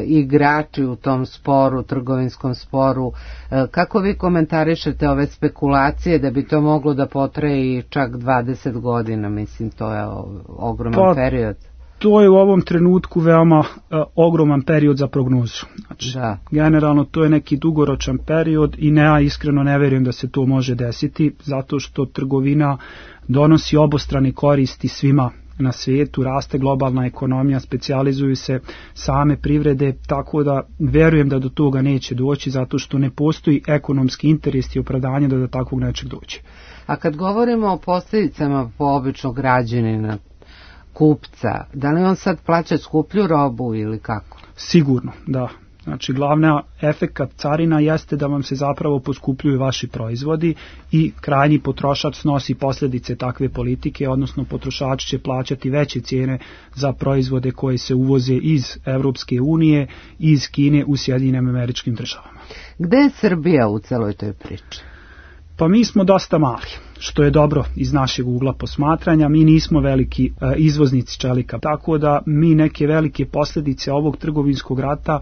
[SPEAKER 2] igrači u tom sporu, trgovinskom sporu. Kako vi komentarišete ove spekulacije da bi to moglo da potraje i čak 20 godina? Mislim, to je ogroman period.
[SPEAKER 13] To je u ovom trenutku veoma ogroman period za prognozu. Znači, generalno to je neki dugoročan period i ja iskreno ne vjerujem da se to može desiti, zato što trgovina donosi obostrane koristi svima na svijetu, raste globalna ekonomija, specijalizuju se same privrede, tako da verujem da do toga neće doći, zato što ne postoji ekonomski interes i opravdanje da do takvog nečeg doći.
[SPEAKER 2] A kad govorimo o posljedicama po običnog građanina, kupca, da li on sad plaća skuplju robu ili kako?
[SPEAKER 13] Sigurno, da. Znači, glavna efekat carina jeste da vam se zapravo poskupljuju vaši proizvodi i krajnji potrošač snosi posljedice takve politike, odnosno potrošači će plaćati veće cijene za proizvode koje se uvoze iz Evropske unije i iz Kine u Sjedinjenim Američkim Državama.
[SPEAKER 2] Gde je Srbija u celoj toj priči?
[SPEAKER 13] Pa mi smo dosta mali, što je dobro iz našeg ugla posmatranja. Mi nismo veliki izvoznici čelika, tako da mi neke velike posljedice ovog trgovinskog rata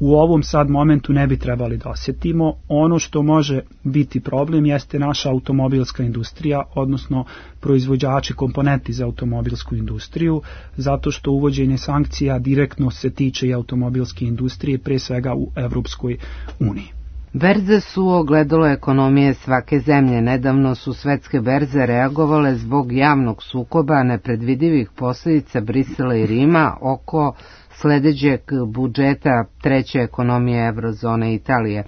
[SPEAKER 13] u ovom sad momentu ne bi trebali da osjetimo. Ono što može biti problem jeste naša automobilska industrija, odnosno proizvođači komponenti za automobilsku industriju, zato što uvođenje sankcija direktno se tiče i automobilske industrije, pre svega u Evropskoj uniji.
[SPEAKER 2] Berze su ogledalo ekonomije svake zemlje. Nedavno su svetske berze reagovale zbog javnog sukoba nepredvidivih posljedica Brisela i Rima oko sljedećeg budžeta treće ekonomije Eurozone Italije,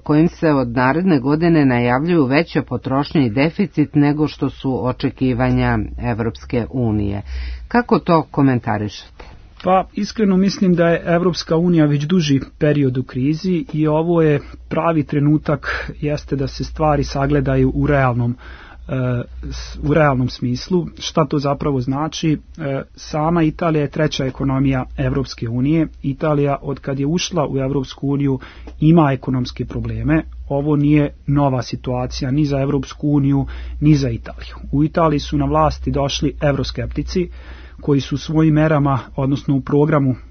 [SPEAKER 2] kojim se od naredne godine najavljuju veća potrošnja i deficit nego što su očekivanja Evropske unije. Kako to komentarišete?
[SPEAKER 13] Pa iskreno mislim da je Evropska unija već duži period u krizi i ovo je pravi trenutak, jeste da se stvari sagledaju u realnom smislu. Šta to zapravo znači? Sama Italija je treća ekonomija Evropske unije. Italija od kad je ušla u Evropsku uniju ima ekonomske probleme. ovo nije nova situacija ni za Evropsku uniju, ni za Italiju. U Italiji su na vlasti došli evroskeptici koji su svojim merama, odnosno u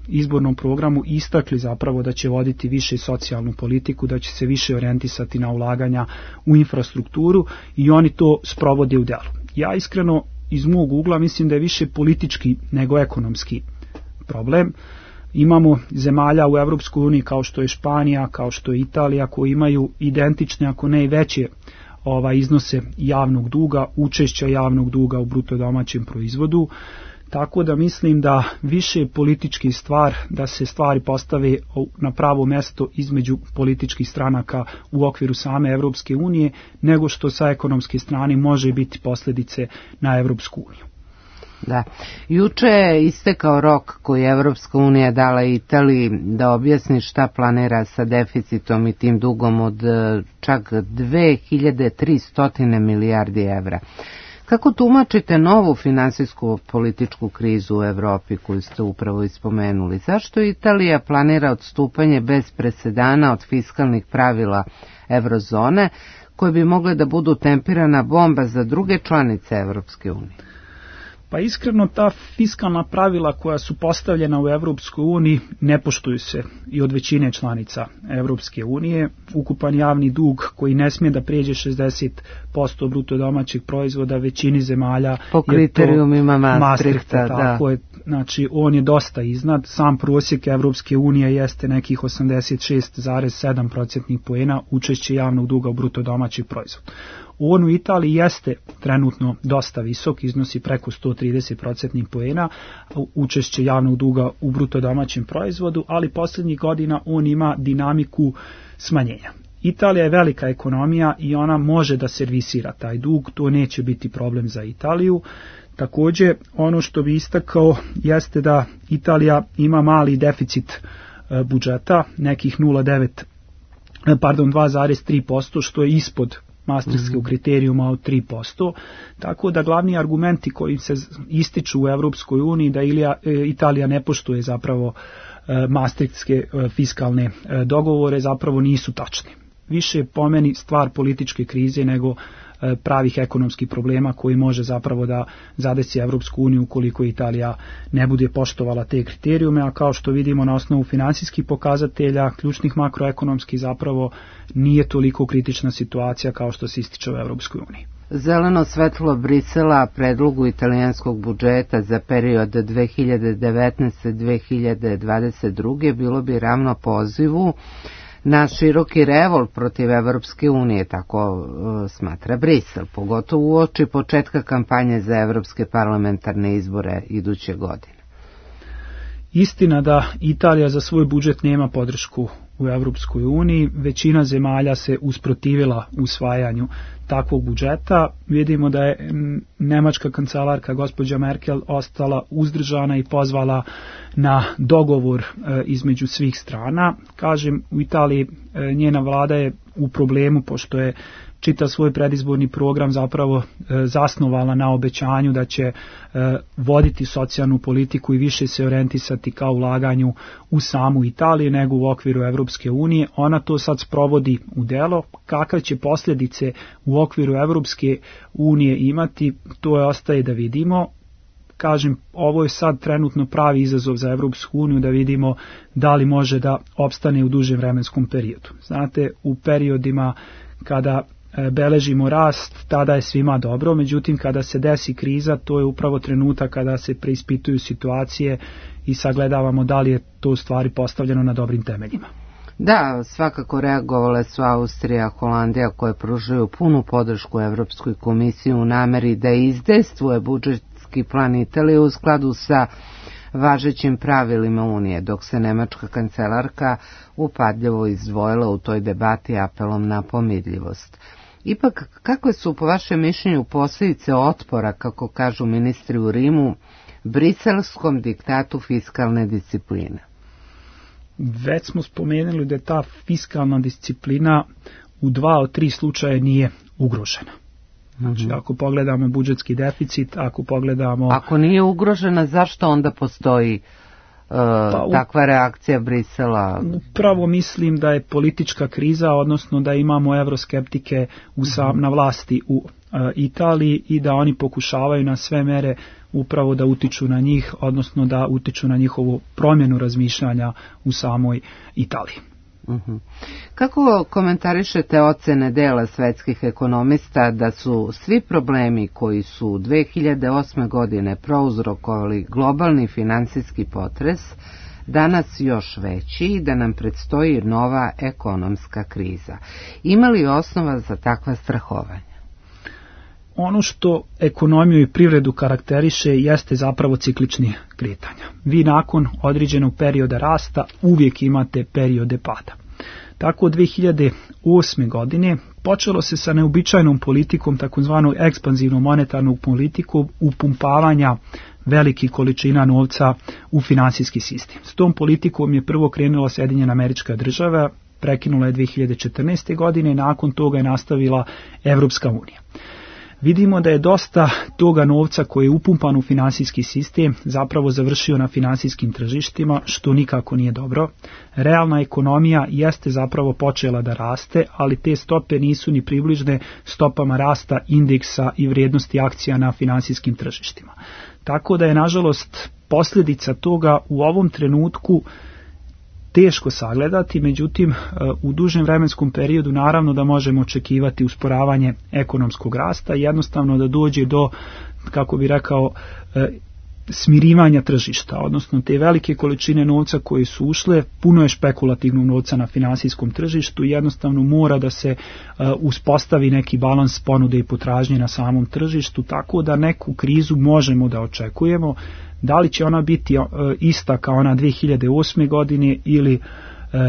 [SPEAKER 13] izbornom programu, istakli zapravo da će voditi više socijalnu politiku, da će se više orijentisati na ulaganja u infrastrukturu i oni to sprovode u delu. Ja iskreno iz mog ugla mislim da je više politički nego ekonomski problem. Imamo zemalja u Evropskoj uniji kao što je Španija, kao što je Italija, koji imaju identične, ako ne i veće iznose javnog duga, učešća javnog duga u bruto domaćem proizvodu. Tako da mislim da više je politički stvar da se stvari postave na pravo mesto između političkih stranaka u okviru same Evropske unije, nego što sa ekonomske strane može biti posljedice na Evropsku uniju.
[SPEAKER 2] Da. Juče je istekao rok koji je Evropska unija dala Italiji da objasni šta planira sa deficitom i tim dugom od čak 2300 milijardi evra. Kako tumačite novu finansijsku političku krizu u Evropi koju ste upravo ispomenuli? Zašto Italija planira odstupanje bez presedana od fiskalnih pravila eurozone koje bi mogle da budu tempirana bomba za druge članice Evropske unije?
[SPEAKER 13] Pa iskreno ta fiskalna pravila koja su postavljena u Evropskoj uniji ne poštuju se i od većine članica Evropske unije. Ukupan javni dug koji ne smije da prijeđe 60% bruto domaćeg proizvoda većini zemalja
[SPEAKER 2] po kriterijumima
[SPEAKER 13] Maastrichta. Tako je, znači on je dosta iznad. Sam prosjek Evropske unije jeste nekih 86,7% poena učešće javnog duga u bruto domaćeg proizvoda. On u Italiji jeste trenutno dosta visok, iznosi preko 130% poena učešće javnog duga u bruto domaćem proizvodu, ali posljednjih godina on ima dinamiku smanjenja. Italija je velika ekonomija i ona može da servisira taj dug, to neće biti problem za Italiju. Također, ono što bi istakao jeste da Italija ima mali deficit budžeta, nekih 2,3%, što je ispod Maastrichtskog kriterijuma od 3%, tako da glavni argumenti koji se ističu u Evropskoj uniji da Italija ne poštuje zapravo Maastrichtske fiskalne dogovore zapravo nisu tačni. Više po meni stvar političke krize nego pravih ekonomskih problema koji može zapravo da zadesi Evropsku uniju ukoliko Italija ne bude poštovala te kriterijume, a kao što vidimo na osnovu financijskih pokazatelja, ključnih makroekonomskih zapravo nije toliko kritična situacija kao što se ističe u Evropskoj uniji.
[SPEAKER 2] Zeleno svetlo Brisela predlogu italijanskog budžeta za period 2019-2022 bilo bi ravno pozivu na široki revolt protiv Evropske unije, tako smatra Brisel, pogotovo uoči početka kampanje za evropske parlamentarne izbore iduće godine.
[SPEAKER 13] Istina da Italija za svoj budžet nema podršku u Evropskoj uniji, većina zemalja se usprotivila usvajanju takvog budžeta. Vidimo da je nemačka kancelarka gospođa Merkel ostala uzdržana i pozvala na dogovor između svih strana. Kažem, u Italiji njena vlada je u problemu pošto je čitav svoj predizborni program zapravo zasnovala na obećanju da će voditi socijalnu politiku i više se orijentisati kao ulaganju u samu Italiju nego u okviru Evropske unije. Ona to sad sprovodi u delo. Kakve će posljedice u okviru Evropske unije imati, to je ostaje da vidimo. Kažem, ovo je sad trenutno pravi izazov za Evropsku uniju da vidimo da li može da opstane u dužem vremenskom periodu. Znate, u periodima kada beležimo rast, tada je svima dobro, međutim kada se desi kriza, to je upravo trenutak kada se preispituju situacije i sagledavamo da li je to u stvari postavljeno na dobrim temeljima.
[SPEAKER 2] Da, svakako reagovale su Austrija, Holandija koje pružaju punu podršku Evropskoj komisiji u nameri da izdejstvuje budžetski plan Italije u skladu sa važećim pravilima Unije, dok se nemačka kancelarka upadljivo izdvojila u toj debati apelom na pomirljivost. Ipak, kakve su po vašem mišljenju posljedice otpora, kako kažu ministri u Rimu, briselskom diktatu fiskalne discipline?
[SPEAKER 13] Već smo spomenuli da ta fiskalna disciplina u 2 od 3 slučaja nije ugrožena. Znači, ako pogledamo budžetski deficit, ako pogledamo...
[SPEAKER 2] Ako nije ugrožena, zašto onda postoji takva reakcija Brisela?
[SPEAKER 13] Upravo mislim da je politička kriza, odnosno da imamo evroskeptike na vlasti u Italiji i da oni pokušavaju na sve mere upravo da utiču na njih, odnosno da utiču na njihovu promjenu razmišljanja u samoj Italiji.
[SPEAKER 2] Kako komentarišete ocene dela svetskih ekonomista da su svi problemi koji su 2008. godine prouzrokovali globalni finansijski potres danas još veći i da nam predstoji nova ekonomska kriza? Ima li osnova za takva strahovanja?
[SPEAKER 13] Ono što ekonomiju i privredu karakteriše jeste zapravo ciklični kretanja. Vi nakon određenog perioda rasta uvijek imate periode pada. Tako od 2008. godine počelo se sa neobičajnom politikom, takozvanom ekspanzivnom monetarnom politikom upumpavanja velikih količina novca u finansijski sistem. S tom politikom je prvo krenula Sjedinjene Američke Države, prekinula je 2014. godine i nakon toga je nastavila Evropska unija. Vidimo da je dosta toga novca koji je upumpan u finansijski sistem zapravo završio na finansijskim tržištima, što nikako nije dobro. Realna ekonomija jeste zapravo počela da raste, ali te stope nisu ni približne stopama rasta indeksa i vrijednosti akcija na finansijskim tržištima. Tako da je, nažalost, posljedica toga u ovom trenutku teško sagledati, međutim u dužem vremenskom periodu naravno da možemo očekivati usporavanje ekonomskog rasta i jednostavno da dođe do, kako bi rekao, smirivanja tržišta, odnosno te velike količine novca koje su ušle, puno je špekulativnog novca na finansijskom tržištu i jednostavno mora da se uspostavi neki balans ponude i potražnje na samom tržištu, tako da neku krizu možemo da očekujemo. Da li će ona biti ista kao ona 2008. godine ili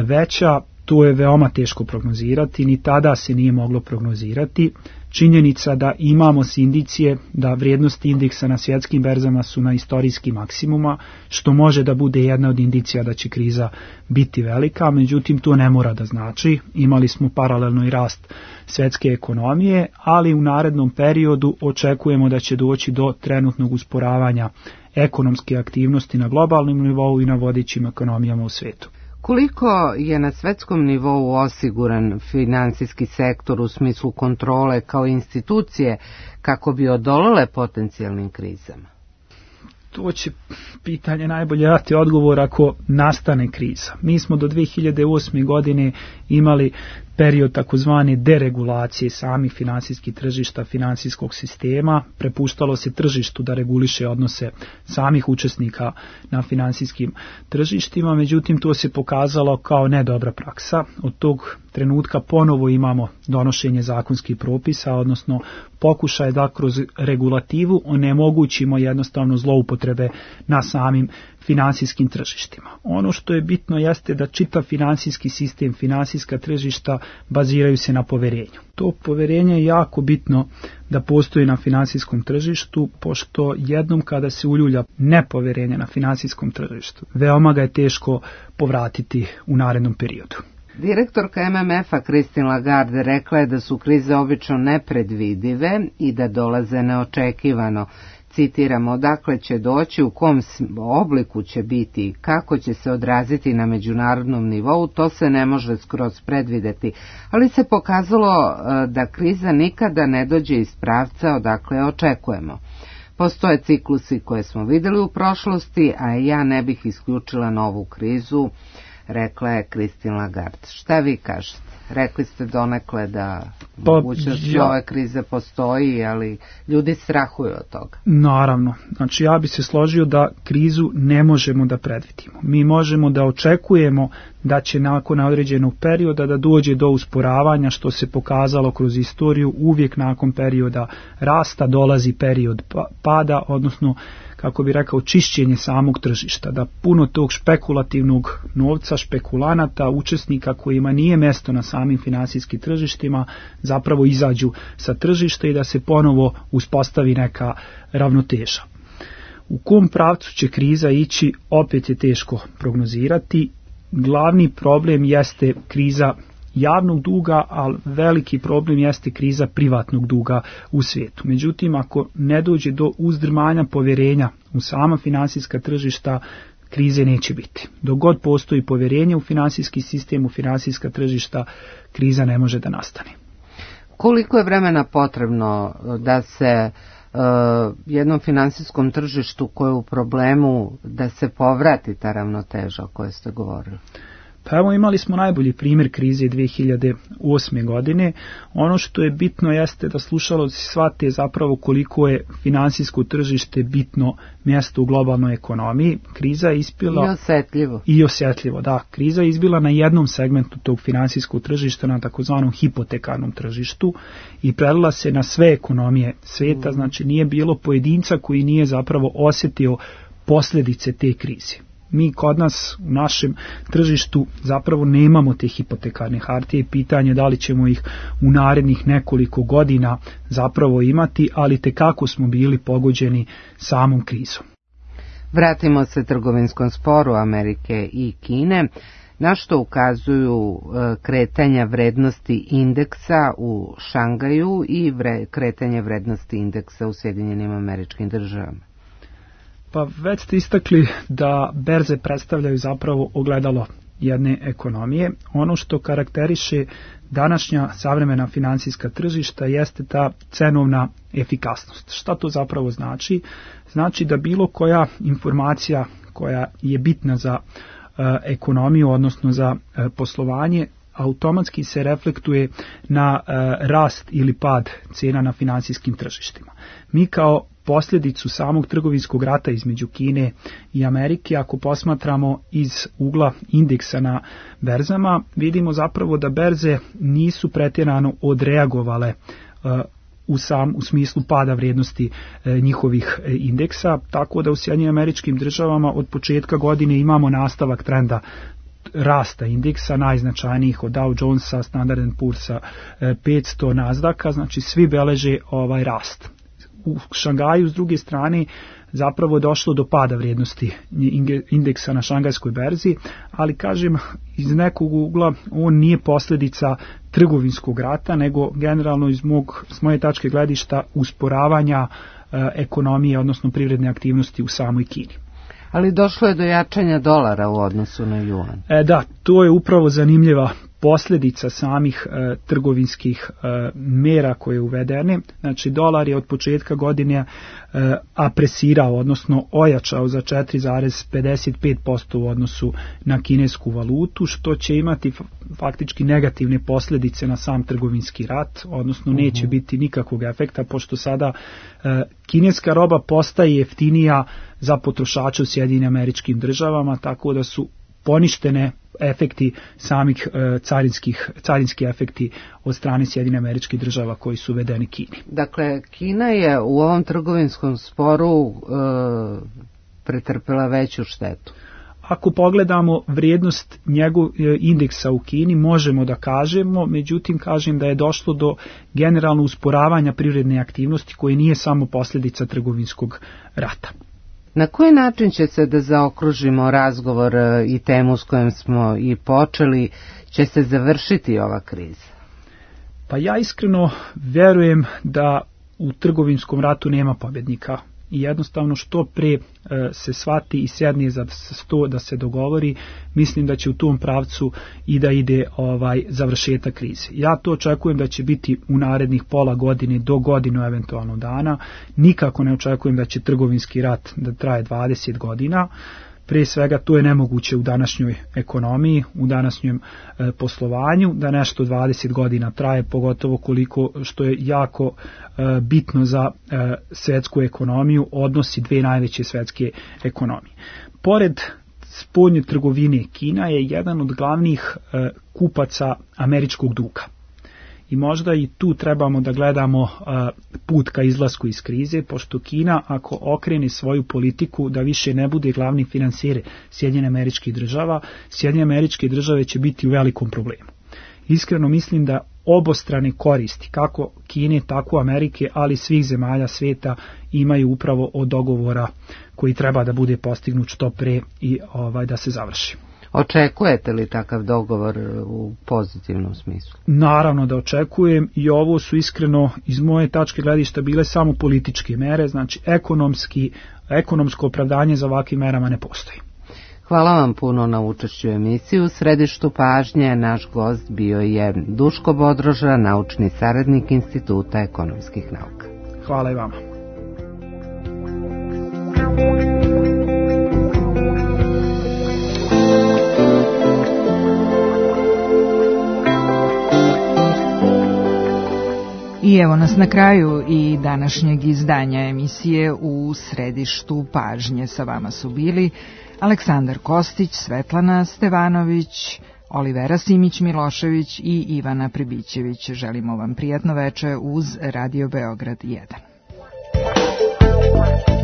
[SPEAKER 13] veća, to je veoma teško prognozirati, ni tada se nije moglo prognozirati. Činjenica da imamo indicije da vrijednosti indeksa na svjetskim berzama su na istorijskim maksimuma, što može da bude jedna od indicija da će kriza biti velika, međutim to ne mora da znači. Imali smo paralelno i rast svjetske ekonomije, ali u narednom periodu očekujemo da će doći do trenutnog usporavanja ekonomske aktivnosti na globalnom nivou i na vodećim ekonomijama u svijetu.
[SPEAKER 2] Koliko je na svetskom nivou osiguran finansijski sektor u smislu kontrole kao institucije kako bi odolele potencijalnim krizama?
[SPEAKER 13] To će pitanje najbolje dati odgovor ako nastane kriza. Mi smo do 2008. godine imali period takozvane deregulacije samih finansijskih tržišta, finansijskog sistema. Prepuštalo se tržištu da reguliše odnose samih učesnika na finansijskim tržištima, međutim to se pokazalo kao nedobra praksa. Od tog trenutka ponovo imamo donošenje zakonskih propisa, odnosno pokušaj da kroz regulativu onemogućimo jednostavno zloupotrebe na samim finansijskim tržištima. Ono što je bitno jeste da čitav finansijski sistem, finansijska tržišta baziraju se na poverenju. To poverenje je jako bitno da postoji na finansijskom tržištu, pošto jednom kada se uljulja nepoverenje na finansijskom tržištu, veoma ga je teško povratiti u narednom periodu.
[SPEAKER 2] Direktorka MMF-a Christine Lagarde rekla je da su krize obično nepredvidive i da dolaze neočekivano. Citiramo, odakle će doći, u kom obliku će biti, kako će se odraziti na međunarodnom nivou, to se ne može skroz predvideti, ali se pokazalo da kriza nikada ne dođe iz pravca odakle je očekujemo. Postoje ciklusi koje smo vidjeli u prošlosti, a ja ne bih isključila novu krizu, rekla je Christine Lagarde. Šta vi kažete? Rekli ste donekle da mogućnost ove krize postoji, ali ljudi strahuju od toga.
[SPEAKER 13] Naravno. Znači ja bi se složio da krizu ne možemo da predvidimo. Mi možemo da očekujemo da će nakon određenog perioda da dođe do usporavanja, što se pokazalo kroz istoriju. Uvijek nakon perioda rasta dolazi period pada, odnosno kako bi rekao, čišćenje samog tržišta, da puno tog špekulativnog novca, špekulanata, učesnika kojima nije mjesto na samim finansijskim tržištima, zapravo izađu sa tržišta i da se ponovo uspostavi neka ravnoteža. U kom pravcu će kriza ići, opet je teško prognozirati. Glavni problem jeste kriza javnog duga, ali veliki problem jeste kriza privatnog duga u svijetu. Međutim, ako ne dođe do uzdrmanja povjerenja u sama finansijska tržišta, krize neće biti. Dok god postoji povjerenje u finansijski sistem, u finansijska tržišta, kriza ne može da nastane.
[SPEAKER 2] Koliko je vremena potrebno da se jednom finansijskom tržištu koje je u problemu, da se povrati ta ravnoteža o kojoj ste govorili?
[SPEAKER 13] Pa evo, imali smo najbolji primjer krize 2008. godine. Ono što je bitno jeste da slušalci shvate zapravo koliko je finansijsko tržište bitno mjesto u globalnoj ekonomiji. Kriza je izbila i osjetljivo. Da, kriza je izbila na jednom segmentu tog finansijskog tržišta, na takozvanom hipotekarnom tržištu, i prelila se na sve ekonomije svijeta. Znači nije bilo pojedinca koji nije zapravo osjetio posljedice te krize. Mi kod nas u našem tržištu zapravo nemamo te hipotekarne hartije i pitanje da li ćemo ih u narednih nekoliko godina zapravo imati, ali tekako smo bili pogođeni samom krizom.
[SPEAKER 2] Vratimo se trgovinskom sporu Amerike i Kine. Na što ukazuju kretanja vrednosti indeksa u Šangaju i kretanje vrednosti indeksa u Sjedinjenim Američkim Državama?
[SPEAKER 13] Pa već ste istakli da berze predstavljaju zapravo ogledalo jedne ekonomije. Ono što karakteriše današnja savremena financijska tržišta jeste ta cenovna efikasnost. Šta to zapravo znači? Znači da bilo koja informacija koja je bitna za ekonomiju, odnosno za poslovanje, automatski se reflektuje na rast ili pad cijena na financijskim tržištima. Mi kao posljedicu samog trgovinskog rata između Kine i Amerike, ako posmatramo iz ugla indeksa na berzama, vidimo zapravo da berze nisu pretjerano odreagovale u smislu pada vrijednosti njihovih indeksa, tako da u Sjedinjenim Američkim Državama od početka godine imamo nastavak trenda rasta indeksa, najznačajnijih od Dow Jonesa, Standard & Poor'sa, 500, Nasdaka, znači svi beleže ovaj rast. U Šangaju s druge strane zapravo je došlo do pada vrijednosti indeksa na šangajskoj berzi, ali kažem iz nekog ugla on nije posljedica trgovinskog rata, nego generalno s moje tačke gledišta usporavanja ekonomije, odnosno privredne aktivnosti u samoj Kini.
[SPEAKER 2] Ali došlo je do jačanja dolara u odnosu na juan.
[SPEAKER 13] Da, to je upravo zanimljiva posljedica samih trgovinskih mera koje je uvedene. Znači dolar je od početka godine apresirao, odnosno ojačao za 4,55% u odnosu na kinesku valutu, što će imati faktički negativne posljedice na sam trgovinski rat, odnosno neće biti nikakvog efekta, pošto sada kineska roba postaje jeftinija za potrošače u Sjedinjenim Američkim Državama, tako da su poništene efekti samih carinski efekti od strane Sjedinjenih Američkih Država koji su uvedeni Kini.
[SPEAKER 2] Dakle, Kina je u ovom trgovinskom sporu pretrpela veću štetu.
[SPEAKER 13] Ako pogledamo vrijednost indeksa u Kini, možemo da kažemo, međutim kažem da je došlo do generalno usporavanja privredne aktivnosti koje nije samo posljedica trgovinskog rata.
[SPEAKER 2] Na koji način će se, da zaokružimo razgovor i temu s kojom smo i počeli, će se završiti ova kriza?
[SPEAKER 13] Pa ja iskreno vjerujem da u trgovinskom ratu nema pobjednika. I jednostavno što pre se shvati i sjedne za sto da se dogovori, mislim da će u tom pravcu i da ide završetak krize. Ja to očekujem da će biti u narednih pola godine do godinu eventualno dana. Nikako ne očekujem da će trgovinski rat da traje 20 godina. Prije svega to je nemoguće u današnjoj ekonomiji, u današnjem poslovanju, da nešto 20 godina traje, pogotovo koliko što je jako bitno za svjetsku ekonomiju, odnosi dve najveće svjetske ekonomije. Pored spoljne trgovine, Kina je jedan od glavnih kupaca američkog duga. I možda i tu trebamo da gledamo put ka izlasku iz krize, pošto Kina, ako okrene svoju politiku da više ne bude glavni financijer Sjedinjenih Američkih Država, Sjedinjene Američke Države će biti u velikom problemu. Iskreno mislim da obostrane koristi, kako Kine, tako Amerike, ali svih zemalja svijeta imaju upravo od dogovora koji treba da bude postignut što pre i da se završi.
[SPEAKER 2] Očekujete li takav dogovor u pozitivnom smislu?
[SPEAKER 13] Naravno da očekujem i ovo su iskreno iz moje tačke gledišta bile samo političke mere, znači ekonomsko opravdanje za ovakvim merama ne postoji.
[SPEAKER 2] Hvala vam puno na učešću u emisiji. U središtu pažnje naš gost bio je Duško Bodroža, naučni saradnik Instituta ekonomskih nauka.
[SPEAKER 13] Hvala i vama.
[SPEAKER 3] I evo nas na kraju i današnjeg izdanja emisije U središtu pažnje. Sa vama su bili Aleksandar Kostić, Svetlana Stevanović, Olivera Simić-Milošević i Ivana Pribićević. Želimo vam prijatno veče uz Radio Beograd 1.